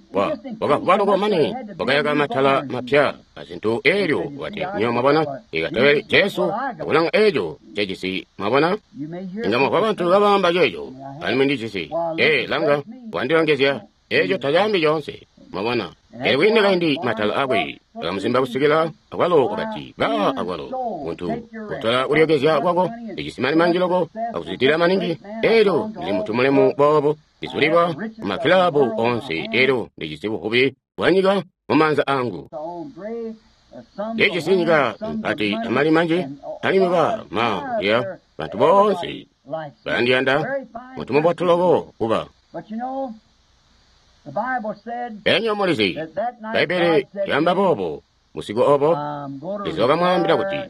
wakavuba loko mane wakayaka matala mapya azintu. Elyo wati, nywebo mwabona, ikatobele Jesu akulanga eeco cejisi. Mwabona, inga mwamvwa bantu kabaamba ceeco, alimwi ndijisi. Langa, wandilongezya. Eeco tacaambi coonse. Mwabona, elyo kwiinde kaindi matala akwe akamuzimba kusikila akwalo wakati, ba akwalo muntu kutola kulyokezya kwako, ndijisi mali manji loko akuzwidilila maningi. Elyo ndili muntu mulemu boobo, ndizulilwa mumakilabu onse. Elyo ndijisi buvubi bwa nyika mumaanza angu, ndijisi nyika mpati amali manji, alimwi ba ma ya bantu boonse balandiyanda, muntu mubotu loko kuba. Enyo mulizi, Bbaibbele lyaamba boobo busiku obo, Leza wakamwaambila kuti,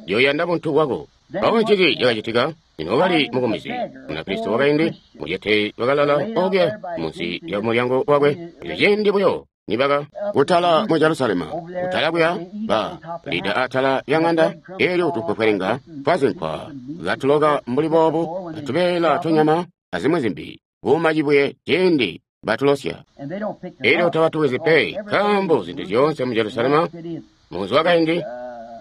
ndiyoyanda buntu bwako. Mpawo ncinzi cakacitika? Lino wakali mukumizi, Munakristo wakaindi mucete wakalala okuya munsi lya mulyango wakwe. Elyo ciindi buyo nibaka kutala mu Jerusalema, kutala kuya ba lida atala lya ng'anda, elyo tupwepwelenga twazinkwa katuloka mbuli boobu, atubeela tunyama azimwi zimbi. kuuma cibuye ciindi batulosya. Elyo tabatuwezi pe, nkaambo zintu zyoonse mu Jerusalema, munzi wakaindi,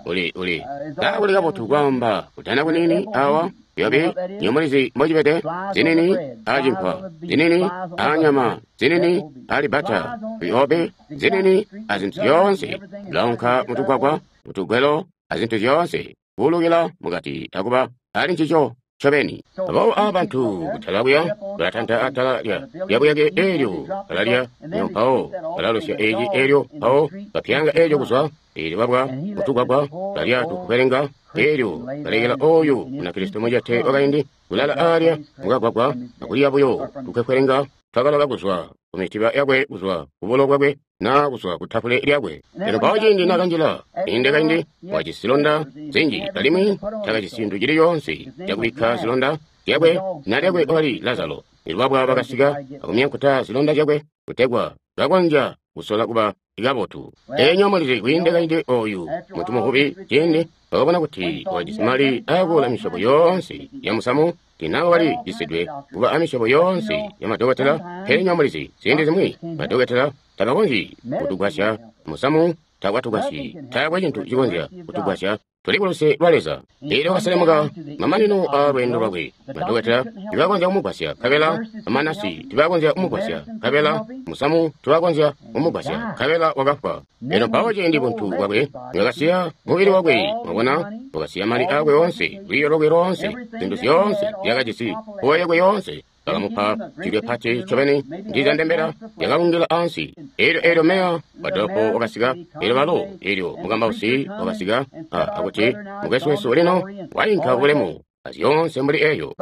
uli kakuli kabotu kwaamba kutana kunini awa yobi nyomulizi mbocibede, zinini acinkwa, zinini anyama, zinini alibata, yobi zinini azintu zyoonse, launka mutugwagwa, mutugwelo, azintu zyoonse, kuulukila mukati akuba ali ncico ncobeni. Aboobo aba bantu kutala kuya balatanta atala lya buyake eelyo balalya, elyo mpawo balalosya eci eelyo mpawo bapyanga eelyo kuzwa, eelyo babwa mutugwagwa balya tukwelenga, eelyo balekela oyu Munakristo mucete wakaindi kulala alya mukagwagwa akulya buyo tukwekwelenga twakaloka kuzwa ku mitiba yakwe, kuzwa kubulo bwakwe, na kuzwa ku tafule lyakwe. Elyo mpawo ciindi nakanjila inde kaindi wajisi zilonda zinji, alimwi takajisi cintu cili coonse cakubikka zilonda zyakwe, na lyakwe wakali Lazaro. Elyo babwa bakasika akumyankuta zilonda zyakwe kutegwa kakonzya kusola kuba kabotu. Enyo mulizi kwiinde kaindi oyu muntu muvubi ciindi bakabona kuti wajisi mali akuula misyobo yoonse ya musamu, tinawo wali jisidwe kuba amisyobo yoonse ya madokotela. Pele nyo mulizi ziindi zimwi madokotela tabakonzyi kutugwasya, musamu takwatugwasyi, taakwe cintu cikonzya kutugwasya, tuli kuluse lwa Leza. Elyo wakaselemuka mamanino a lweendo lwakwe, madokotela tibakonzya kumugwasya, nkabela amanasi tibakonzya kumugwasya, nkabela musamu tibakonzya kumugwasya, nkabela wakafwa. Elyo mpawo ciindi buntu bwakwe bwakasiya mubili wakwe, mwabona, wakasiya mali akwe oonse, lwiiyo lwakwe loonse, zintu zyoonse zyakajisi, mpuwo yakwe yoonse, bakamupa cilyo pati ncobeni, ndiza ndembela yakalungila ansi. Elyo meya wa dolopo wakasika, elyo balo, elyo mukambausi wakasika, akuti mukwesu wesu lino wainka bulemu azyoonse mbuli eyo.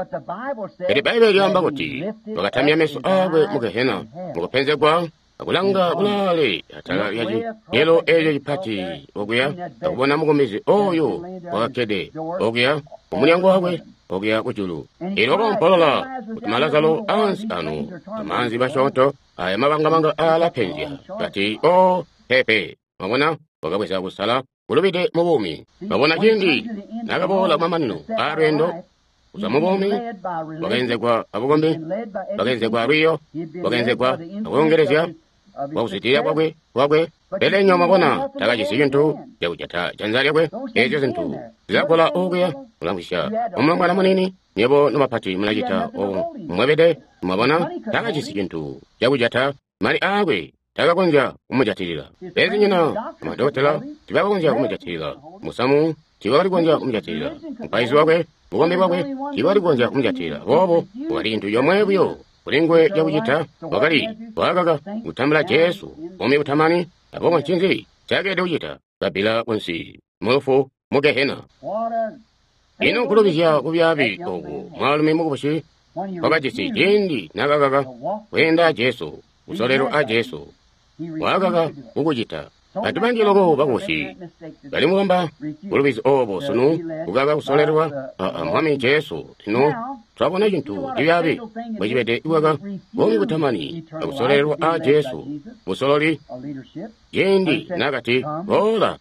Pele Bbaibbele lyaamba kuti wakatamya meso akwe mu gehena, mukupenzegwa, akulanga kulaale atala lya ciyelo eco cipati okuya, akubona mukomezi oyo wakakkede okuya kumulyango wakwe okuya kujulu. Elyo wakoompolola kuti Lazaro ansi ano amaanzi masyoonto aya mabangabanga alapenzya, kati o pepe. Mwabona, wakabweza kusala kulubide mu buumi. Mwabona, ciindi nakaboola kumamanino a lweendo kuzwa mu buumi, wakaenzegwa abukombi, wakaenzegwa alwiiyo, wakaenzegwa akuongelezya kwakuzwidilila kwakwe. Pele nyo mwabona, takajisi cintu cakujata janza lyakwe. Ezyo zintu zilakola okuya kulamwisya umulombwana munini, nyebo nobapati mulacita obo mwebede. Mwabona, takajisi cintu cakujata mali akwe, takakonzya kumujatilila. Bezinyina amadokotela tibakonzya kumujatilila, musamu tiwakali kukonzya kumujatilila, mupaizi wakwe, bukombi bwakwe tiwakali kukonzya kumujatilila. Boobo wakali cintu comwe buyo kuli nguwe cakucita, wakali wakaka kutambula Jesu buumi butamani. Aboobo ncinzi ncakeelede kucita? Kabbila kunsi mulufu mu gehena. Ino nkulubizya kubyaabi oku mwaalumi mukubusi wakajisi ciindi nakakaka kweenda Jesu, kusolelwa a Jesu, wakakaka kukucita. Bantu banji loko bakubusi bali mubamba bulubizi obo sunu, kukaka kusolelwa a Mwami Jesu. Lino twabona cintu cibyaabi mbwecibede kukaka buumi butamani akusolelwa a Jesu, busololi ciindi nakati boola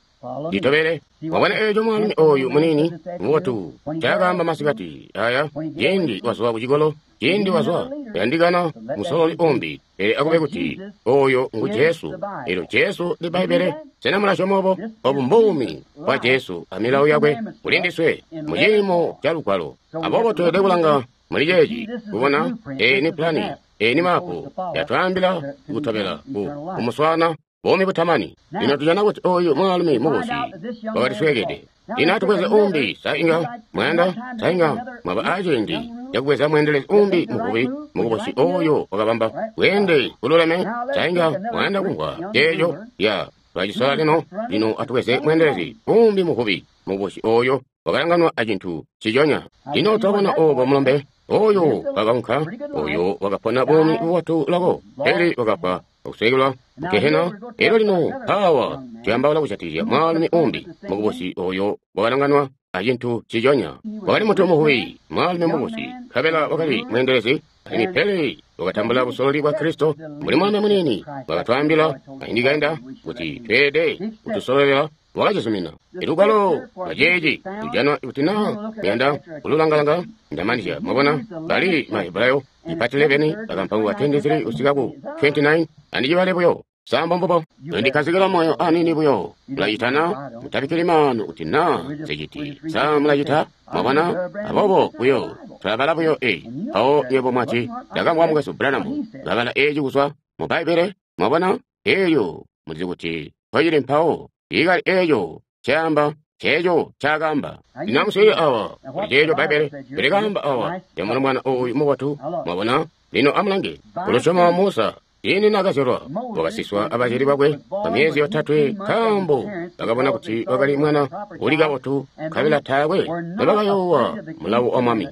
nditobele. Wabona eeco mwaalumi oyu muniini mubotu ncaakaamba masikati aya, ciindi wazwa kucikolo, ciindi wazwa kuyandikana musololi umbi, pele akube kuti oyo ngu Jesu. Elyo Jesu ndi Bbaibbele. Sena mulasyoma obo? Obu mbuumi bwa Jesu amilawo yakwe kuli ndiswe mu ciimo ca Lugwalo. Aboobo tweelede kulanga muli ceeci kubona eyi ni pulani, eyi ni mapu yatwaambila kutobela kumuswaana buumi butamani. Lino tujana kuti oyu mwaalumi mubusi wakalisweekede. Lino atubweze umbi, sa inga mwayanda, sa inga mwaba aciindi cakubweza mweendelezi umbi muvubi mukubusi oyo wakabamba bweende bululeme, sa inga mwayanda kumvwa ceeco ya twacisola lino. Lino atubweze mweendelezi umbi muvubi mukubusi oyo wakalanganwa acintu ciconya. Lino twabona obo mulombe oyo wakaunka, oyo wakapona buumi bubotu loko, pele wakafwa akusweekelwa mugehena. Elyo lino awa tuyambaula kujatikizya mwaalumi umbi mukubusi oyo wakalanganwa acintu ciconya. Wakali muntu muvubi, mwaalumi mukubusi, nkabela wakali mweendelezi, alimwi pele wakatambula busololi bwa Kristo mbuli mwaalumi muniini wakatwaambila kaindi kainda kuti tweelede kutusololela. wakacizumina. Ilugwalo lwaceeci tujana kuti naa muyanda kululangalanga ndamanizya. Mwabona bali Mahebrayo ipati 11 akampango ka 23 kusika ku 29 andicibale buyo. Sambo mbubo ndikhazikila moyo anini buyo mulacitana mutabikkili maanu kuti naa ziciti sa mulacita. Mwabona aboobo buyo tulabala buyo eyi. Mpawo nywebo mwati ndakamvwa mukwesu Branham kabala eeci kuzwa mu Bbaibbele. Mwabona eelyo mulizi kuti mpocili mpawo ikali eeco caamba ceeco cakaamba. Lino amuswiilile awa kuli ceeco Bbaibbele likaamba awa lyamwana ooyu mubotu. Mwabona lino amulange kulusyomo Musa ciindi naakazyalwa wakasiswa abazyali bakwe kwa myezi 3 nkaambo bakabona kuti wakali mwana uli kabotu nkabela taakwe nobakayoowa mulawo wa mwami.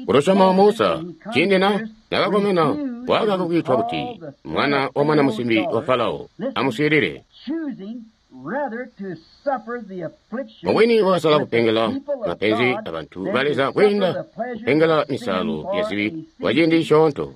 Kulusyomo Musa ciindi nakakomena wakaka kwiitwa kuti mwana wa mwana musimbi wa Farao. Amuswiilile. Mubwini wakasala kupengela mapenzi abantu ba Leza kwiinda kupengela misalo ya zibi kwa ciindi cisyoonto.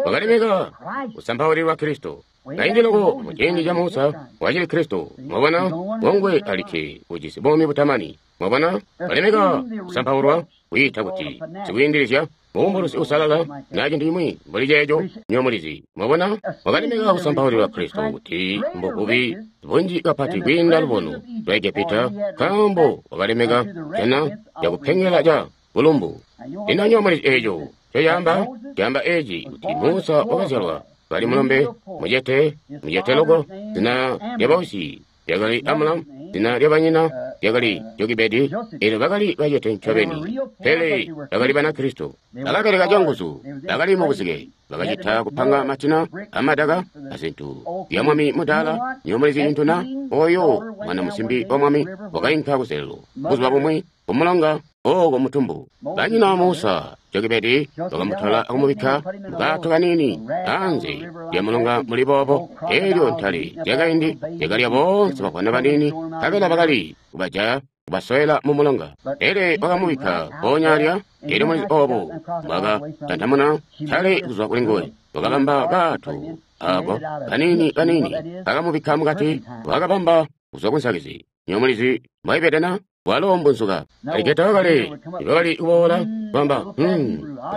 Wakalemeka kusampaulilwa Kristo. Kaindi loko mu ciindi ca Musa wacili Kristo. Mwabona ngongwe alikke ujisi buumi butamani. Mwabona walemeka kusampaulwa kwiita kuti sikwiindilizya muumbulusi usalala na cintu cimwi mbuli ceeco nyomulizi. Mwabona wakalemeka kusampaulilwa Kristo kuti mbububi bunji kapati kwiinda lubono lwa Egepita nkaambo wakalemeka jana yakupengela ca bulumbu. Lino nyomulizi eeco cocaamba caamba eeci kuti Musa wakazyalwa kali mulombe mucete mucete loko. Zina lyabausyi lyakali Amulamu, zina lyabanyina lyakali Jokebedi. Eelyo bakali bacete ncobeni, pele bakali Banakristo. Bakabeleka canguzu, bakali mubuzike, bakacita kupanga matina amadaka azintu ya mwami mudaala. Nyomulizi cintu na oyo mwana musimbi wa mwami wakainka kuselelo buzuba bumwi kumulonga ooko mutumbu. Banyina Musa Jokebedi bakamutwala akumubikka mukaato kaniini anze lya mulonga muli boobo. Eelyo ntale lyakaindi lyakalya boonse bavwana baniini nkabela bakali kubajaya kubasowela mu mulonga. Pele bakamubikka mpoonya alya. Eelyo mulizi oobo bwakatantamuna ntale kuzwa kuli nguwe, wakabamba kaato ako kaniini kaniini bakamubikka mukati, wakabamba kuzwa kunsakizi. Nyomulizi mbwaibede na walo mbunzuka aligeta wakale ibakali kuboola kwamba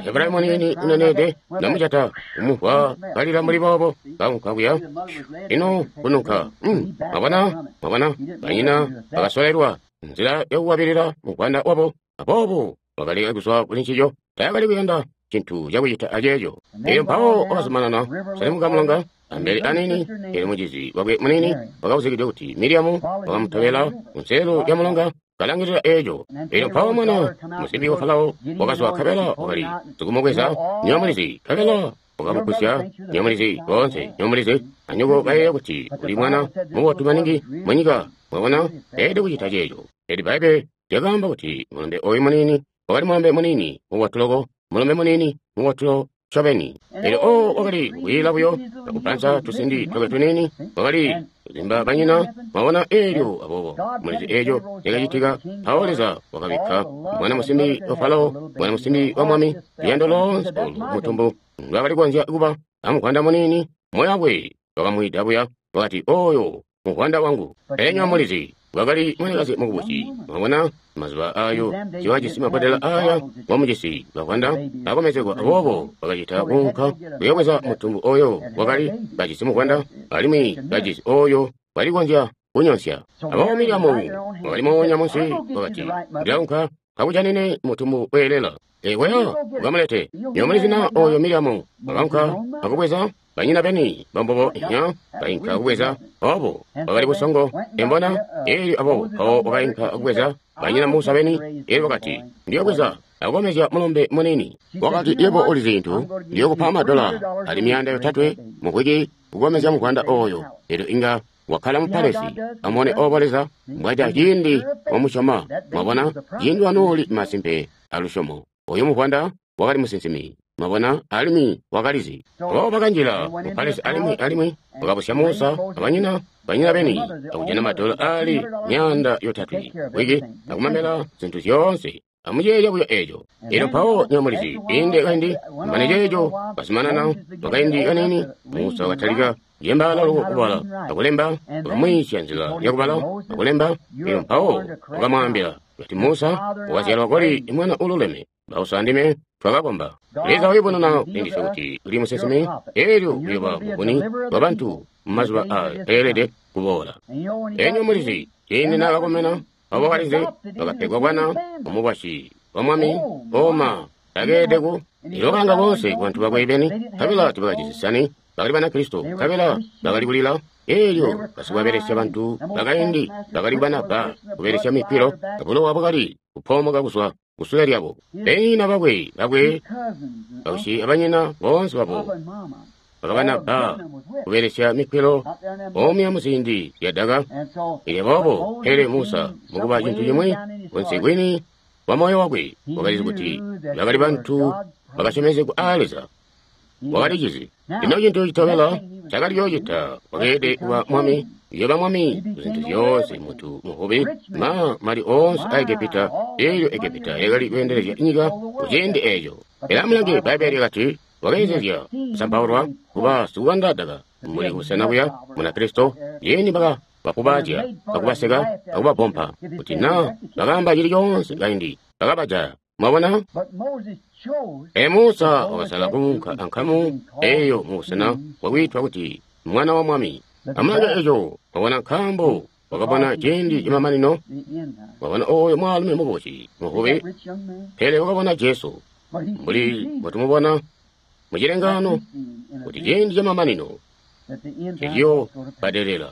Hebrayo munini unenede namucata umuhwa kalila muli boobo kaunka kuya ino kununka. Mwabona mwabona banyina bakasolelwa nzila yakukwabilila mugwanda wabo aboobo wakaleka kuzwa kuli ncico. Taakali kuyanda cintu cakucita aceeco. Eelyo mpawo wakazumanana kuselemuka mulonga ambele anini. Eelyo mucizi wakwe munini wakawuzikidwe kuti Miriamu wakamutobela kunselelo lya mulonga kalangilila eeco. Eelyo mpawo mwana musimbi wa Farao wakazwa nkabela wakali sikumubweza nyomulizi nkabela wakamugwisya nyomulizi boonse nyomulizi anyoko bayeeya kuti uli mwana mubotu maningi munyika. Mwabona eede kucita ceeco. Eelyo Bbaibbele lyakaamba kuti mulombe ooyu munini wakali mulombe munini mubotu loko, mulombe munini mubotu ncobeni. Eelyo oo wakali kukwiila buyo akupansa tusindi twakwe tuniini, wakali kuzimba banyina. Mwabona eelyo aboobo mulizi eeco cakacitika. Mpawo Leza wakabikka mwana musimbi wa Farao, mwana musimbi wa mwami, luyando loonse olu mutumbu ndwaakali kukonzya kuba amuvwanda munini. Moyo wakwe wakamwida buya wakati oyo muvwanda wangu. Pele nyomulizi wakali mwanakazi mukubusi. Mwabona mazuba ayo siwajisi mabodela aya wamujisi bavwanda akomezegwa aboobo bakacita kuunka kuyobweza mutumbu oyo wakali bajisi muvwanda alimwi bajisi oyo walikonzya kunyonsya. Aboobo Miriamu wakali moonya munsi wakati ndilaunka kakujanine mutumbu weelela. Ekwaya ukamulete. Nyomulizi na oyo Miriamu wakaunka akubweza banyina beni bambobo inya bainka kubweza obo wakali busongo embona. Eelyo aboobo mpawo wakainka akubweza banyina Musa beni. Eelyo wakati ndiyobweza akukomezya mulombe munini. Wakati yebo uli zintu ndiyokupa madola ali 300 mukwiki kukomezya muvwanda oyo. Eelyo inga wakkala mu palesi amone obo Leza mbwaca ciindi wamusyoma. Mwabona ciindi wanooli masimpe alusyomo. Oyo muvwanda wakali musinsimi. Mwabona alimwi wakalizi. Aboobo bakanjila mu palesi alimwi wakabusya Musa abanyina banyina beni akujana madola ali 300 wiki akumamela zintu zyoonse. Amuceeya buyo eeco. Eelyo mpawo nyomulizi inde kaindi mane ceeco bazumanana wakaindi kanini Musa wakatalika Jembaala loko kubala akulemba, wakamwiisya nzila yakubala akulemba. Elyo mpawo wakamwaambila kuti, Musa, wakazyalwa koli mwana ululeme, bauso andime twakakomba. Leza wayubununa kulindiswe kuti uli musinsimi, elyo uyoba muvuni wa bantu mumazuba aaelede kuboola. Enyo mulizi, ciindi naakakomena, abo balizi bakapegwa bwana mumukwasyi wa mwami oma takeede ku ilokalanga boonse ku bantu bakwe beni, nkabela tibakajisi sani, bakali Banakristo, nkabela bakali kulila. Elyo basikubabelesya bantu bakaindi bakali banabba kubelesya mipilo, abulowa bwakali kupoomoka kuzwa kusule lyabo. Banyina bakwe bausyi abanyina boonse babo bakabanabba kubelesya mikwilo omya muziindi zyadaka. Elyo boobo pele Musa mukuba cintu cimwi kunsi kwini wa moyo wakwe wakalizi kuti bakali bantu bakasyomezegwa aa Leza. Wakalicizi. Lino cintu citobela cakali yoocita wakeelede kuba mwami, uyoba mwami kuzintu zyoonse, muntu muvubi, ma mali oonse a Egepita. Elyo Egepita yakali kweendelezya nyika kuciindi eeco. Pele amulange, Bbaibbele lyakati wakeezezya kusampaulwa kuba sikukanda daka muli busena buya Munakristo. Yeni baka bakubaazya, bakubaseka, bakubapompa, kuti na bakaamba cili coonse kaindi bakabajaya. Mwabona? E Musa wakasala kuunka ankamu eyo mubusena bwakwiitwa kuti mwana wa mwami. Amulange eco, wabona, nkaambo wakabona ciindi camamanino, wabona oyo mwaalumi muboci muvubi, pele wakabona Jesu mbuli mbwetumubona mucilengano kuti ciindi camamanino eciyo badelela.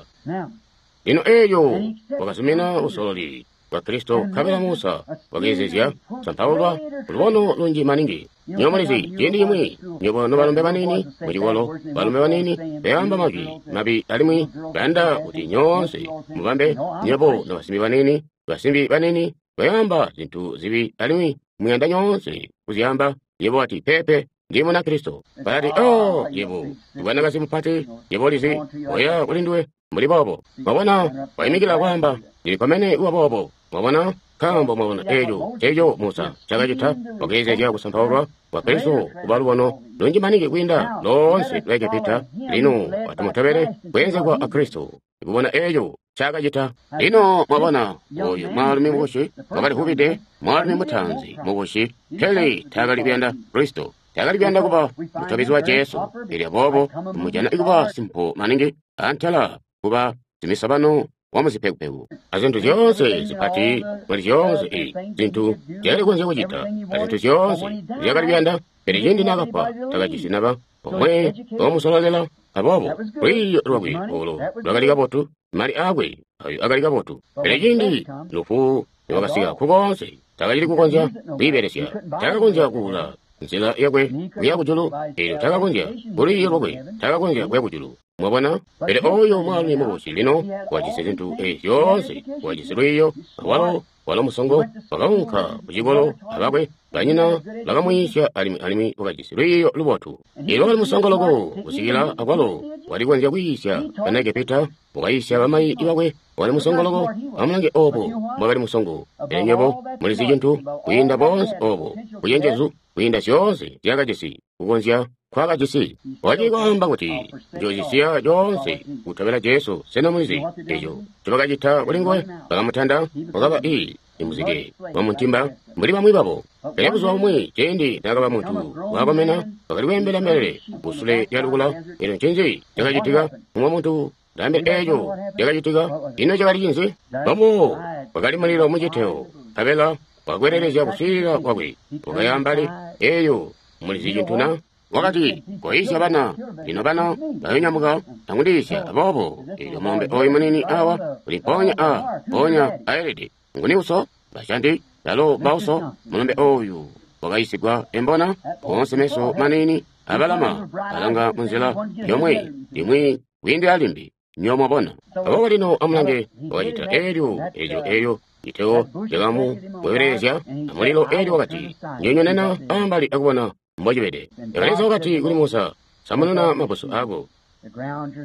Lino eyo wakazumina usololi bwa Kristo, nkabela Musa wakeezezya sampaulwa lubono lunji maningi. Nywebo mulizi, ciindi cimwi nywebo nobalombe banini mucikolo, balombe banini bayamba majwi mabi alimwi bayanda kuti nyoonse mubambe. Nywebo nobasimbi banini, basimbi banini bayamba zintu zibi alimwi muyanda nyoonse kuzyamba. Yebo wati, pepe, ndi Munakristo. Balati, oh, yebo mwanakazi mupati, yebo ulizi, oya kuli nduwe mbuli boobo. Mwabona, waimikila kwaamba, ndili kuba boobo. Mwabona, nkaambo mwabona eco eco Musa cakacita, wakeezezya kusampaulwa kwa Kristo kuba lubono lunji maningi kwiinda loonse lwa Egepita. Lino atumutobele kweenzegwa a Kristo kubona eco cakacita. Lino mwabona oyu mwaalumi mukushi wakali vubide, mwaalumi mutaanzi mukushi, pele taakali kuyanda Kristo, taakali kuyanda kuba mutobezi wa Jesu. Elyo boobo mujana kuba simpo maningi antela kuba simisabano wa muzipekupeku azintu zyoonse zipati muli zyoonse i zintu zyakali kukonzya kucita azintu zyoonse zyakali kuyanda. Pele ciindi naakafwa takajisi naba omwe omusololela. Aboobo lwiiyo lwakwe olo lwakali kabotu, mali aakwe ayo akali kabotu, pele ciindi lufu lwakasika kukoonse takacili kukonzya kwiibelesya. Takakonzya kuula nzila yakwe kuya kujulu, elyo takakonzya kulwiiyo lwakwe takakonzya kuya kujulu. Mwabona? Pele oyo mwaalumi mukubusi lino wajisi zintu ezi zyoonse, wajisi lwiiyo, walo walo musongo, wakaunka kucikolo abakwe banyina bakamwiisya, alimwi wakajisi lwiiyo lubotu. Elyo wakali musongo loko kusikila akwalo walikonzya kwiisya bana Egepita, wakayiisya bamayi bakwe. Wakali musongo loko. Amulange obo mwakali musongo. Pele nywebo mulizi cintu kwiinda boonse obo bucenjezu, kwiinda zyoonse zyakajisi kukonzya kwakajisi. Wakali kwaamba kuti njoocisiya coonse kutobela Jesu. Sena mulizi eco ncobakacita kuli nguwe? Bakamutanda, wakaba i muzike wa muntimba mbuli bamwi babo. Pele buzuba bumwi ciindi naakaba muntu wakomena, wakali kweembela mbelele kusule lya lukula. Elyo ncinzi cakacitika? Umwe muntu ndaambila eco cakacitika. Ino cakali cinzi? Bobo wakali mulilo muciteo, nkabela wakwelelezya kuswiilila kwakwe wakayambali. Eyo mulizi cintu na? Wakati, koyiisya bana. Lino bana bayonyamuka akundiisya. Aboobo elyo mulombe oyu munini awa uli mpoonya a mpoonya aelede. Nguni uso? Bashanti balo bauso. Mulombe oyu wakayisigwa embona oonse meso manini abalama alanga munzila yomwe limwi kwiindila limbi. Nyo mwabona. Aboobo lino amulange wakacita elyo elyo elyo citeo cakamukwelelezya amulilo. Elyo wakati, nyonyonena ambali akubona mbocibede. Leza wakati kuli Musa, samununa mabusu ako,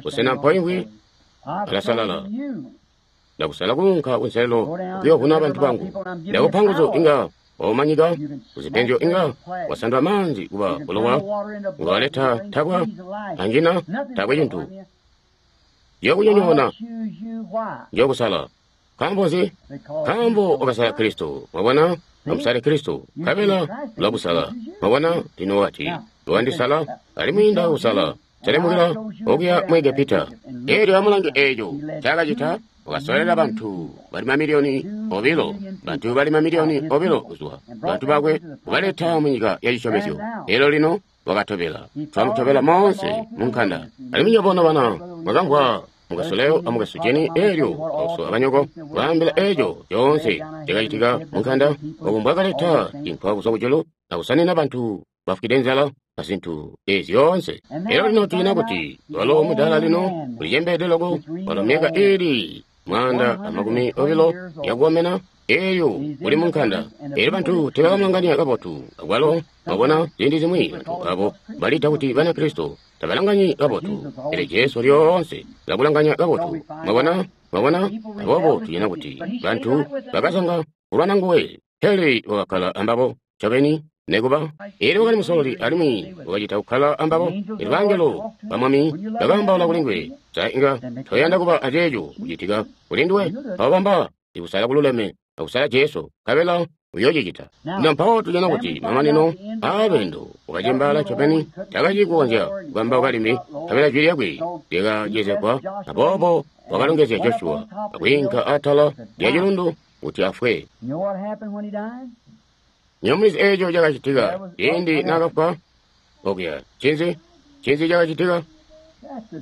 busena mpoimvwi alasalala. Ndakusala kuunka kunselelo kuyovuna bantu bangu. Ndakupa nguzu inga waumanyika kuzipenzyo, inga wasandula maanzi kuba bulowa, unga waleta tabwa anjina takwe cintu. Njokunyonyoona. Njokusala. Nkaambo nzi? Nkaambo wakasala Kristo. Mwabona? Amusale Kristo. Nkabela ulakusala. Mwabona? Lino wati, wandisala, alimwi ndakusala. Selemukila okuya mu Egepita. Elyo amulange eco cakacita, wakasolela bantu bali mamiliyoni obilo, bantu bali mamiliyoni obilo kuzwa bantu bakwe kubaleta mu nyika ya cisyomezyo. Elyo lino wakatobela, twamutobela moonse mu nkanda. Alimwi nywebo bana mwakamvwa mukasoleo amukasujeni elyo bauso abanyoko baambila eco coonse cakacitika mu nkanda, obo mbwakaleta cinkwa kuzwa kujulu akusanina bantu bafwide nzala azintu ezi zyoonse. Elyo lino tujana kuti walo mudaala lino ulicembeede loko, walo myaka ili 120 yakukomena, elyo uli mu nkanda. Elyo bantu tebakamulanganya kabotu. Akwalo mwabona ziindi zimwi bantu abo balita kuti Banakristo tabalanganyi kabotu, pele Jesu lyoonse ulakulanganya kabotu. Mwabona? Mwabona? Aboobo tujana kuti bantu bakazanga kulwana nguwe, pele wakakkala ambabo ncobeni. Nekuba elyo wakali musololi alimwi wakacita kukkala ambabo. Elyo bangelo ba Mwami bakaambaula kuli nguwe. Sa inga toyanda kuba aceeco kucitika kuli nduwe? Mpawo bamba ikusala kululeme akusala Jesu, nkabela uyoocicita. Lino mpawo tujana kuti mamanino aalweendo wakacembaala ncobeni, takacili kukonzya kukambauka limbi, nkabela jwi lyakwe lyakacezegwa. Aboobo wakalongezya Joshua akwiinka atala lya cilundu kuti afwe. Nyomulizi eco cakacitika ciindi naakafwa okuya. Ncinzi? Ncinzi cakacitika?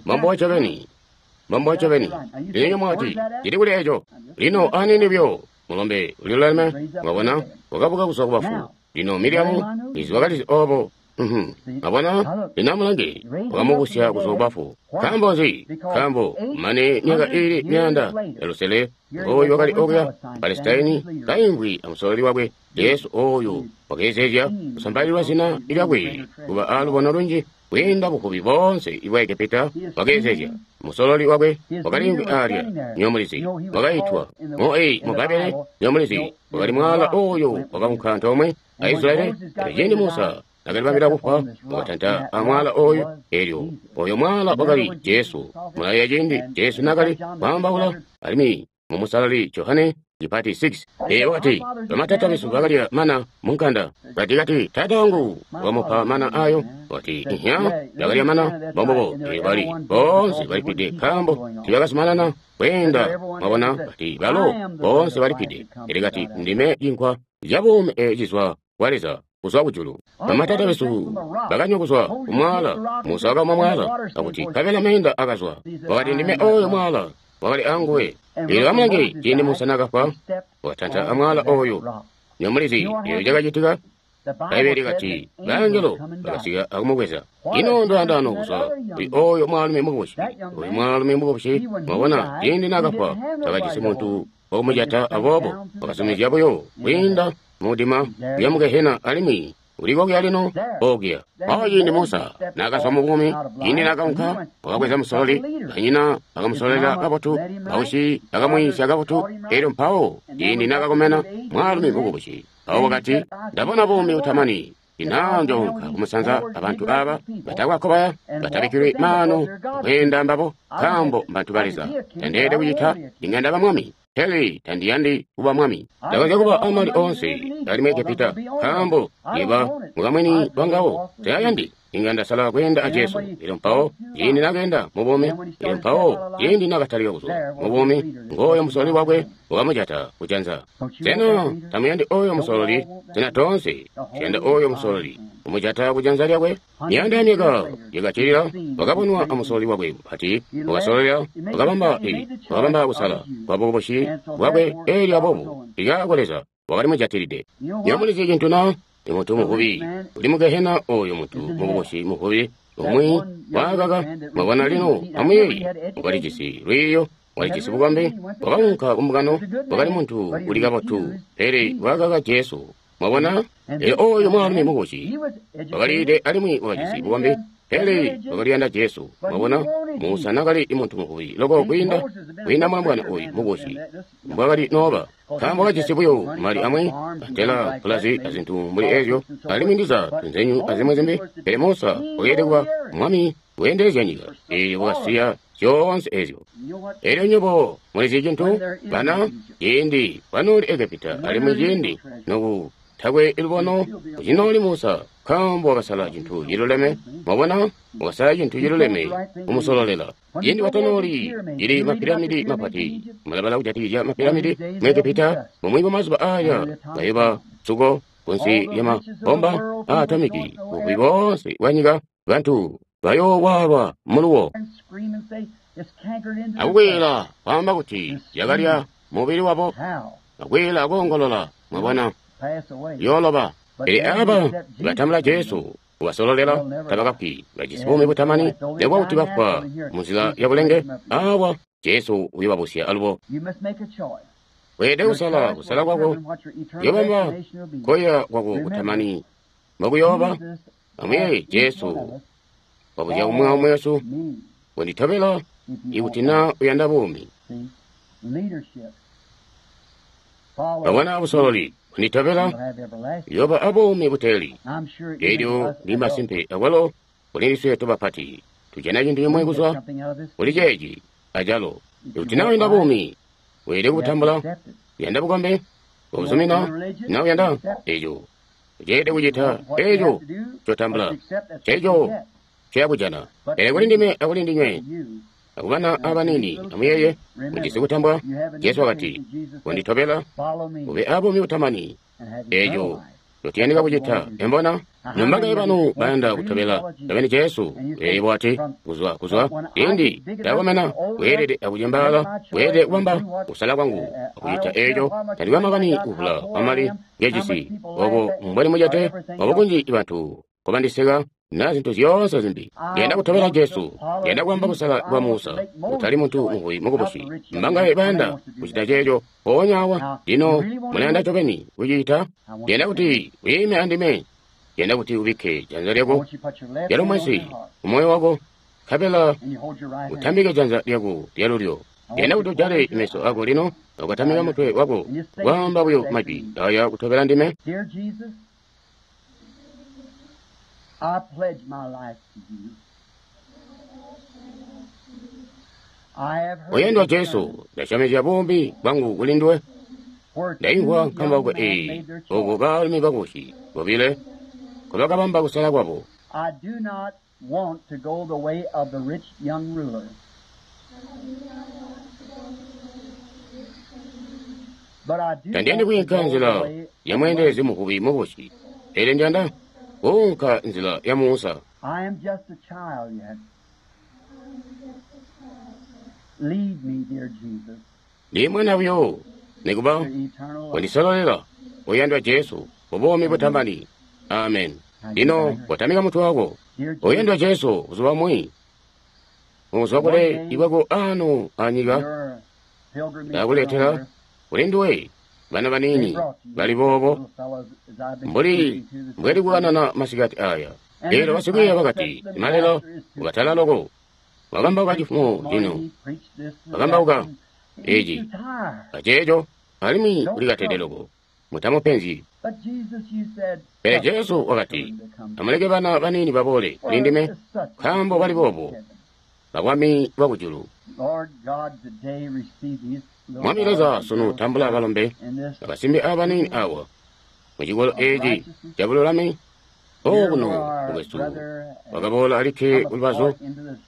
Mambo ncobeni. Mambo ncobeni. Lino mwati, cili kuli eco. Lino anini buyo mulombe uliluleme, mwabona, wakabuka kuzwa kubafu. Lino Miriamu izi wakalizi obo. Mwabona, lino amulange, wakamubusya kuzwa kubafu. Nkaambo nzi? Nkaambo mane myaka ili 500 oyu wakali okuya Palesitaini kaimvwi amusololi wakwe Jesu oyu wakeezezya kusambalilwa zina lyakwe kuba alubono lunji kwiinda buvubi boonse ibwa Egepita. Wakeezezya musololi wakwe wakaliimvwi alya, nyomulizi wakaitwa mu Babele, nyomulizi wakali mwala oyu wakaunka antoomwe a Israeli. Pele ciindi Musa nakalibambila kufwa, wakatanta amwala oyu, elyo oyo mwala wakali Jesu. Mulayeeya ciindi Jesu nakali kwaambaula alimwi mu Musalali Johane chipati 6. Ee, wakati bamatata besu bakalya mana munkanda. Kati tata wangu wamupa mana ayo. Wakati ihya bakalya mana bombobo. Ee, bali boonse balipide nkaambo tibakazumanana kweenda. Mwabona, kati balo boonse balipide. Ele kati ndime cinkwa cabuumi ecizwa kwa Leza kuzwa kujulu. Bamatata besu bakanywa kuzwa kumwala. Musa wakamwa mwala akuti nkabela meenda akazwa. Wakati ndime oyo mwala wakali anguwe. Elyo amulange ciindi Musa nakafwa, wakatanta amwala oyo. Nyomulizi eyo cakacitika. Bbaibele likati bangelo bakasika akumubweza. Ino ndwandano kuzwa kuli oyo mwaalumi mukubusi. Oyo mwaalumi mukubusi, mwabona, ciindi nakafwa takajisi muntu wakumujata, aboobo wakazumizya buyo kwiinda mudima kuya mu Gehena, alimwi uliko lino okuya. Mpawo ciindi Musa nakazwa mu buumi, ciindi nakaunka wakabweza musololi, banyina bakamusolela kabotu, bausyi bakamwiisya kabotu. Elyo mpawo ciindi nakakomena mwaalumi mukubusi, mpawo wakati, ndabona buumi butamani, ina njounka kumusanza abantu aba batakwakobaya batabikkilwi maano kweenda mbabo, nkaambo mbantu ba Leza. Tandeelede kucita inga ndaba mwami. Pele tandiyandi kuba mwami. Ndakonzya kuba amali oonse ali mu Egepita, nkaambo yeba mukamwini wangawo tayayandi. Inga ndasala kweenda a Jesu. Elyo mpawo ciindi nakeenda mu buumi, elyo mpawo ciindi nakatalika kuzwa mu buumi, ngooyo musololi wakwe wakamujata kujanza. Sena tamuyandi oyo musololi? Sena toonse tuyanda oyo musololi kumujata kujanza lyakwe? Miyanda ya myaka yakacilila wakabonwa amusololi wakwe mupati, wakasololela, wakabamba kusala kwa bukubusi bwakwe. Elyo aboobo likaako Leza wakali mujatilide. Nyomulizi cintu na? Imuntu muvubi uli mu Gehena, oyo muntu mukubusi muvubi umwi wakaka. Mwabona lino amuyeeye, wakalijisi lwiiyo, walijisi bukombi, wakaunka kumbungano, wakali muntu uli kabotu, pele wakaka Jesu. Mwabona, elyo oyo mwaalumi mukubusi wakaliide alimwi wakajisi bukombi, Pele wakaliyanda Jesu. Mwabona, Musa nakali muntu muvubi loko kwiinda mulombwana oyu mukusi mbwakali nooba, nkaambo kajisi buyo mali amwi antela pulazi azintu mbuli ezyo, alimwi ndiza tunzenyu azimwi zimbi. Pele Musa wakeelede kuba mwami weendelezya nyika, eelyo wakasiya zyoonse ezyo. Elyo nywebo mulizi cintu, bana, ciindi kwanooli Egepita, alimwi ciindi noku takwe lubono kucinooli Musa, nkaambo wakasala cintu ciluleme. Mwabona, wakasala cintu ciluleme kumusololela. Ciindi watanooli cili mapiramidi mapati, mulabala kujatikizya mapiramidi mu Egepita, mumwi bwa mazuba aya bayoba suko kunsi lya mabomba aatomiki, buvubi boonse bwa nyika, bantu bayoowaalwa muluwo akukwiila kwaamba kuti yakalya mubili wabo, akwiila akoongolola. Mwabona, yooloba. Pele aba batambula Jesu kubasololela tabakafwi, bajisi buumi butamani, nekuba kuti bafwa munzila ya bulenge. Awa Jesu uyobabusya alubo. Weelede kusala, kusala kwako kuyobamba koya kwako kutamani mbokuyooba. Amwiye Jesu wabuzya umwi aumwi wesu, wenditobela ikuti na uyanda buumi. Babona busololi, wenditobela yoba abuumi buteeli. Elyo ndi masimpe akwalo kuli ndiswe tobapati tujana cintu cimwe kuzwa kuli ceeci acalo. Ikuti na uyanda buumi, weelede kubutambula. Uyanda bukombe, ubuzumina. Na uyanda eco, uceelede kucita eco cotambula, ceco ceyakujana. Pele kuli ndime akuli ndinywe akubana abanini, amuyeye mujisi kutambwa. Jesu wakati, wenditobela ube abuumi butamani. Eco totiyandika kucita. Embona nombakaye banu bayanda kutobela tabeni Jesu. Eyo wati kuzwa indi ndakomena, weelede akucembaala, weelede kubamba kusala kwangu akucita eco. Tandikwe makani kuvula kwamali ngejisi, obo mbwali mucete, obo kunji bantu kobandiseka na zintu zyoonse zimbi. Ndiyanda kutobela Jesu, ndiyanda kubamba kusala kwa Musa, kutali muntu muvubi mukubusi. Mbangaye bayanda kucita ceeco mpoonya awa? Lino mulayanda ncobeni kucita? Ndiyanda kuti wiime andime. Ndiyanda kuti ubikke janza lyako lyalumwesi kumoyo wako, nkabela utambike janza lyako lyalulyo. Ndiyanda kuti ujale meso ako lino, ukatamika mutwe wako, kwaamba buyo majwi aya kutobela ndime. I pledge my life to you. I have heard Oyendwa Jesu, ndasyomezya buumi bwangu kuli nduwe. Ndaimvwa nkambauko eyi, oko baalumi bakusi bobile nkobakabamba kusala kwabo. I do not want to go the way of the rich young ruler. But I do Tandiyandi want to kuyinka go the nzila way ya mweendelezi muvubi mukusi, pele ndiyanda kuunka nzila ya Musa. I am just a child yet. Lead me, dear Jesus, Ndi mwana buyo, nikuba to eternal life. wandisololela oyandwa Jesu kubuumi butamani. Amen. Lino kotamika mutwe wako. Dear Jesus, Oyandwa Jesu, buzuba bumwi muzwa kule ikwako ano anyika your pilgrimage ndakuletera on earth, kuli nduwe bana they banini brought you bali boobo little fellows as I've been mbuli speaking to this mbweli kukanana masikati aya. Lero basikwiiya bakati, malelo ukatala loko wakambauka cifumo cino wakambauka eci aceeco, alimwi ulikatede loko mutamupenzi. Pele Jesu wakati, amuleke bana banini baboole kuli ndime, nkaambo bali boobo babwami bwakujulu. Mwami Leza sunu tambula balombe abasimbi abanini awa mucikolo eci cabululami okuno mukwesu wakaboola alikke kulubazu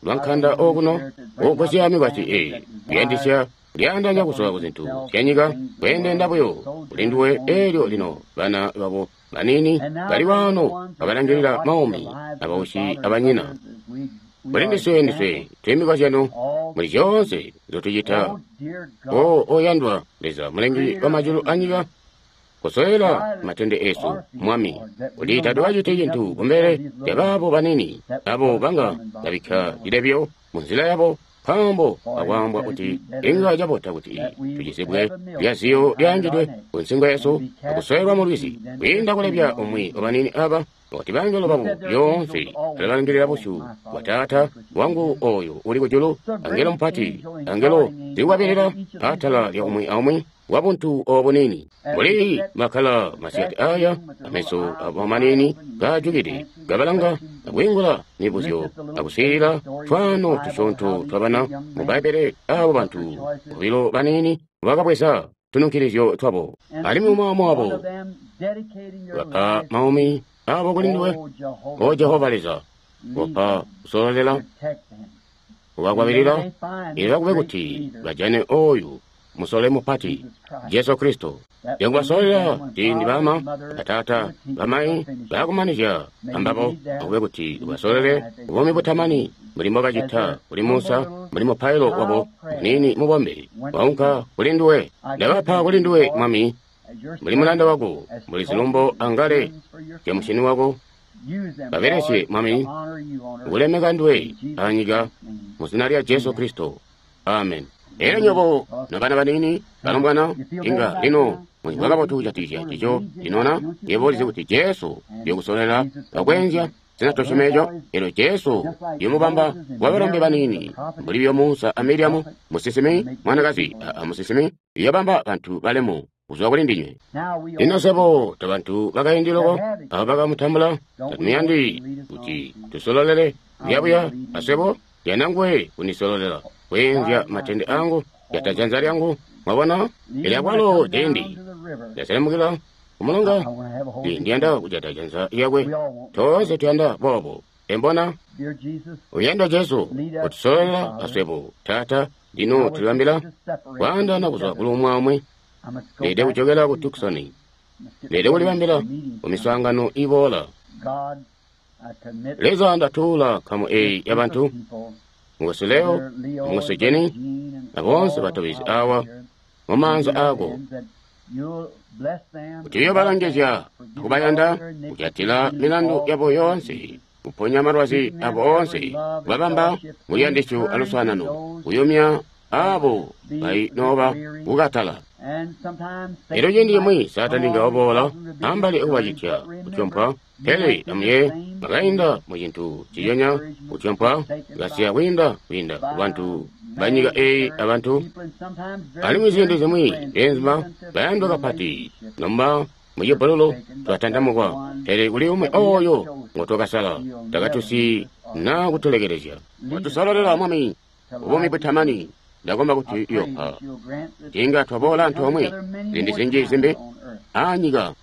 lwa nkanda okuno oogwasya mikwasyi eyi kuyandisya kulyaandanya kuzwa ku zintu zyanyika kweendenda buyo kuli nduwe. Elyo lino bana babo banini bali wano babalangilila maumi abausyi abanyina. Kuli ndiswe ndiswe twemikwazyano muli zyoonse nzotucita. O oyandwa Leza mulengi wa majulu anyika, kusoyela matende esu Mwami, kuti tatukacite cintu kumbele lya baabo banini abo banga babikka cilebyo mu nzila yabo. Nkaambo akwaambwa kuti inga cabota kuti tucizibwe lyaziyo lyaangidwe ku nsingo yesu akusowelwa mu lwizi, kwiinda kulebya umwi wabanini aba, kuti bangelo babo lyoonse alabalangilila busyu bwa Taata wangu oyo uli kujulu. Angelo mupati, angelo zikukwabilila atala lya umwi aumwi wa buntu obunini. Mbuli makala masiyati aya, ameso abo manini gajukide gabalanga akwiingula mibuzyo akuswiilila twaano tusyoonto twabana mu Bbaibbele, abo bantu bobilo banini bakabweza tununkilizyo twabo, alimwi umwi aumwi wabo bapa maumi abo kuli nduwe, O Jehova Leza, wapa kusololela, kubakwabilila, ila kube kuti bajane oyu musole mupati Jesu Kristo. Yakubasololela ciindi bama, batata, bamayi bakumanizya ambabo, akube kuti ubasolole buumi butamani mbuli mbobacita kuli Musa, mbuli mupailo wabo muniini mubombe waunka kuli nduwe. Ndabapa kuli nduwe, Mwami, mbuli mulanda wako, mbuli zilumbo angale zya mushini wako. Babelesye, Mwami, kulemeka nduwe anyika, mu zina lya Jesu Kristo. Amen. Elyo nyobo nobana banini balombwana, inga lino mulimvwa kabotu kujatikizya cico linona. Yebo ulizi kuti Jesu uyokusolela akwenzya sena tosyoma eco? Elyo Jesu uyomubamba wa balombe banini mbuli byo Musa a Miriamu, musinsimi mwanakazi a musinsimi, uyobamba bantu balemu kuzwa kuli ndinywe. Lino swebo tobantu bakaindi loko abo bakamutambula, tatumuyandi kuti tusololele buyabuya aswebo? Yanda nguwe kunisololela kweenzya matende angu, jata janza lyangu. Mwabona? Elyo akwalo ciindi ndaselemukila kumulonga, ndiyanda kujata janza lyakwe. Toonse tuyanda boobo. Embona? Uyanda Jesu kutusololela aswebo. Taata, lino tulibambila kwaandaana kuzwa kuli umwi aumwi. Leede kujokela ku Tucson. Leede kulibambila ku miswaangano iboola. Leza, ndatuula nkamu eyi yabantu, Mukwesu Leo, Mukwesu Jenny, aboonse batobezi awa mumaanza aako, kuti uyobalongezya akubayanda, kujatila milandu yabo yoonse, kuponya malwazi abo oonse, kubabamba muluyandisyo aluswaanano, kuyumya abo bainooba kukatala. Elyo ciindi cimwi Saatani nga waboola ambali akubacitya kutyompwa, pele amuye bakainda mu cintu ciyonya kutyompwa, kasiya kwiinda kubantu banyika eyi abantu. Alimwi ziindi zimwi beenzuma bayandwa kapati nomba mucibbululu twatantamukwa, pele kuli umwi oyo ngotwakasala, takatusi na kutulekelezya. Watusololela, Mwami, buumi butamani. Ndakomba kuti uyopa inga twaboola antoomwe ziindi zinji zimbi anyika,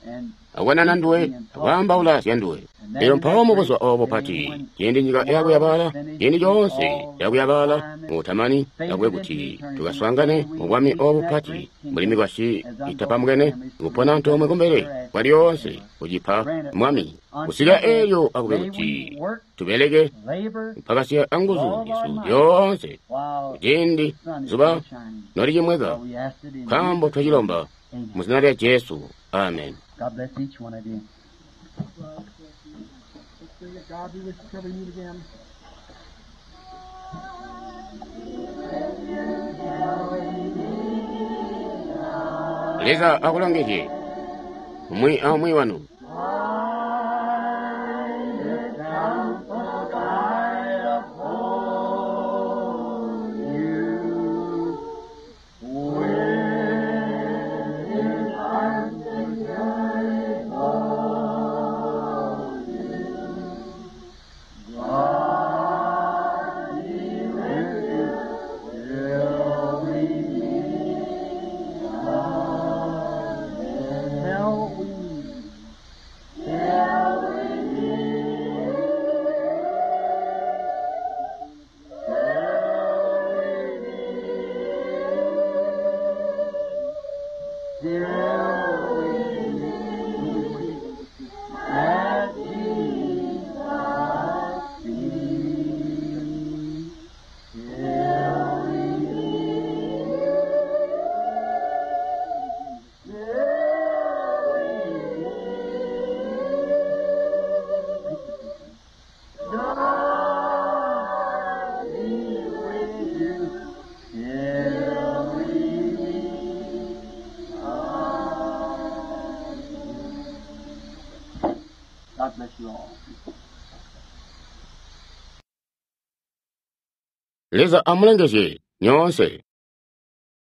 akubonana nduwe, akwaambaula zya nduwe. Elyo mpawo mubuzuba obo bupati, ciindi nyika yakuyabaala, ciindi coonse yakuyabaala muutamani, akube kuti tukaswaangane mu bwami obo bupati, mbuli mikwasyi itapambukene, kupona antoomwe kumbele kwa lyoonse, kucipa Mwami. Kusika elyo akube kuti tubeleke mpakasiya anguzu zyesu zyoonse, kuciindi zuba nolicimweka, nkaambo twacilomba mu zina lya Jesu. Amen. God bless each one of you. Let's sing it. God be with you till we meet again. Leza akulongezye umwi aumwi wanu. Till we meet. God be with you. bless you all. Leza amulongezye nyoonse.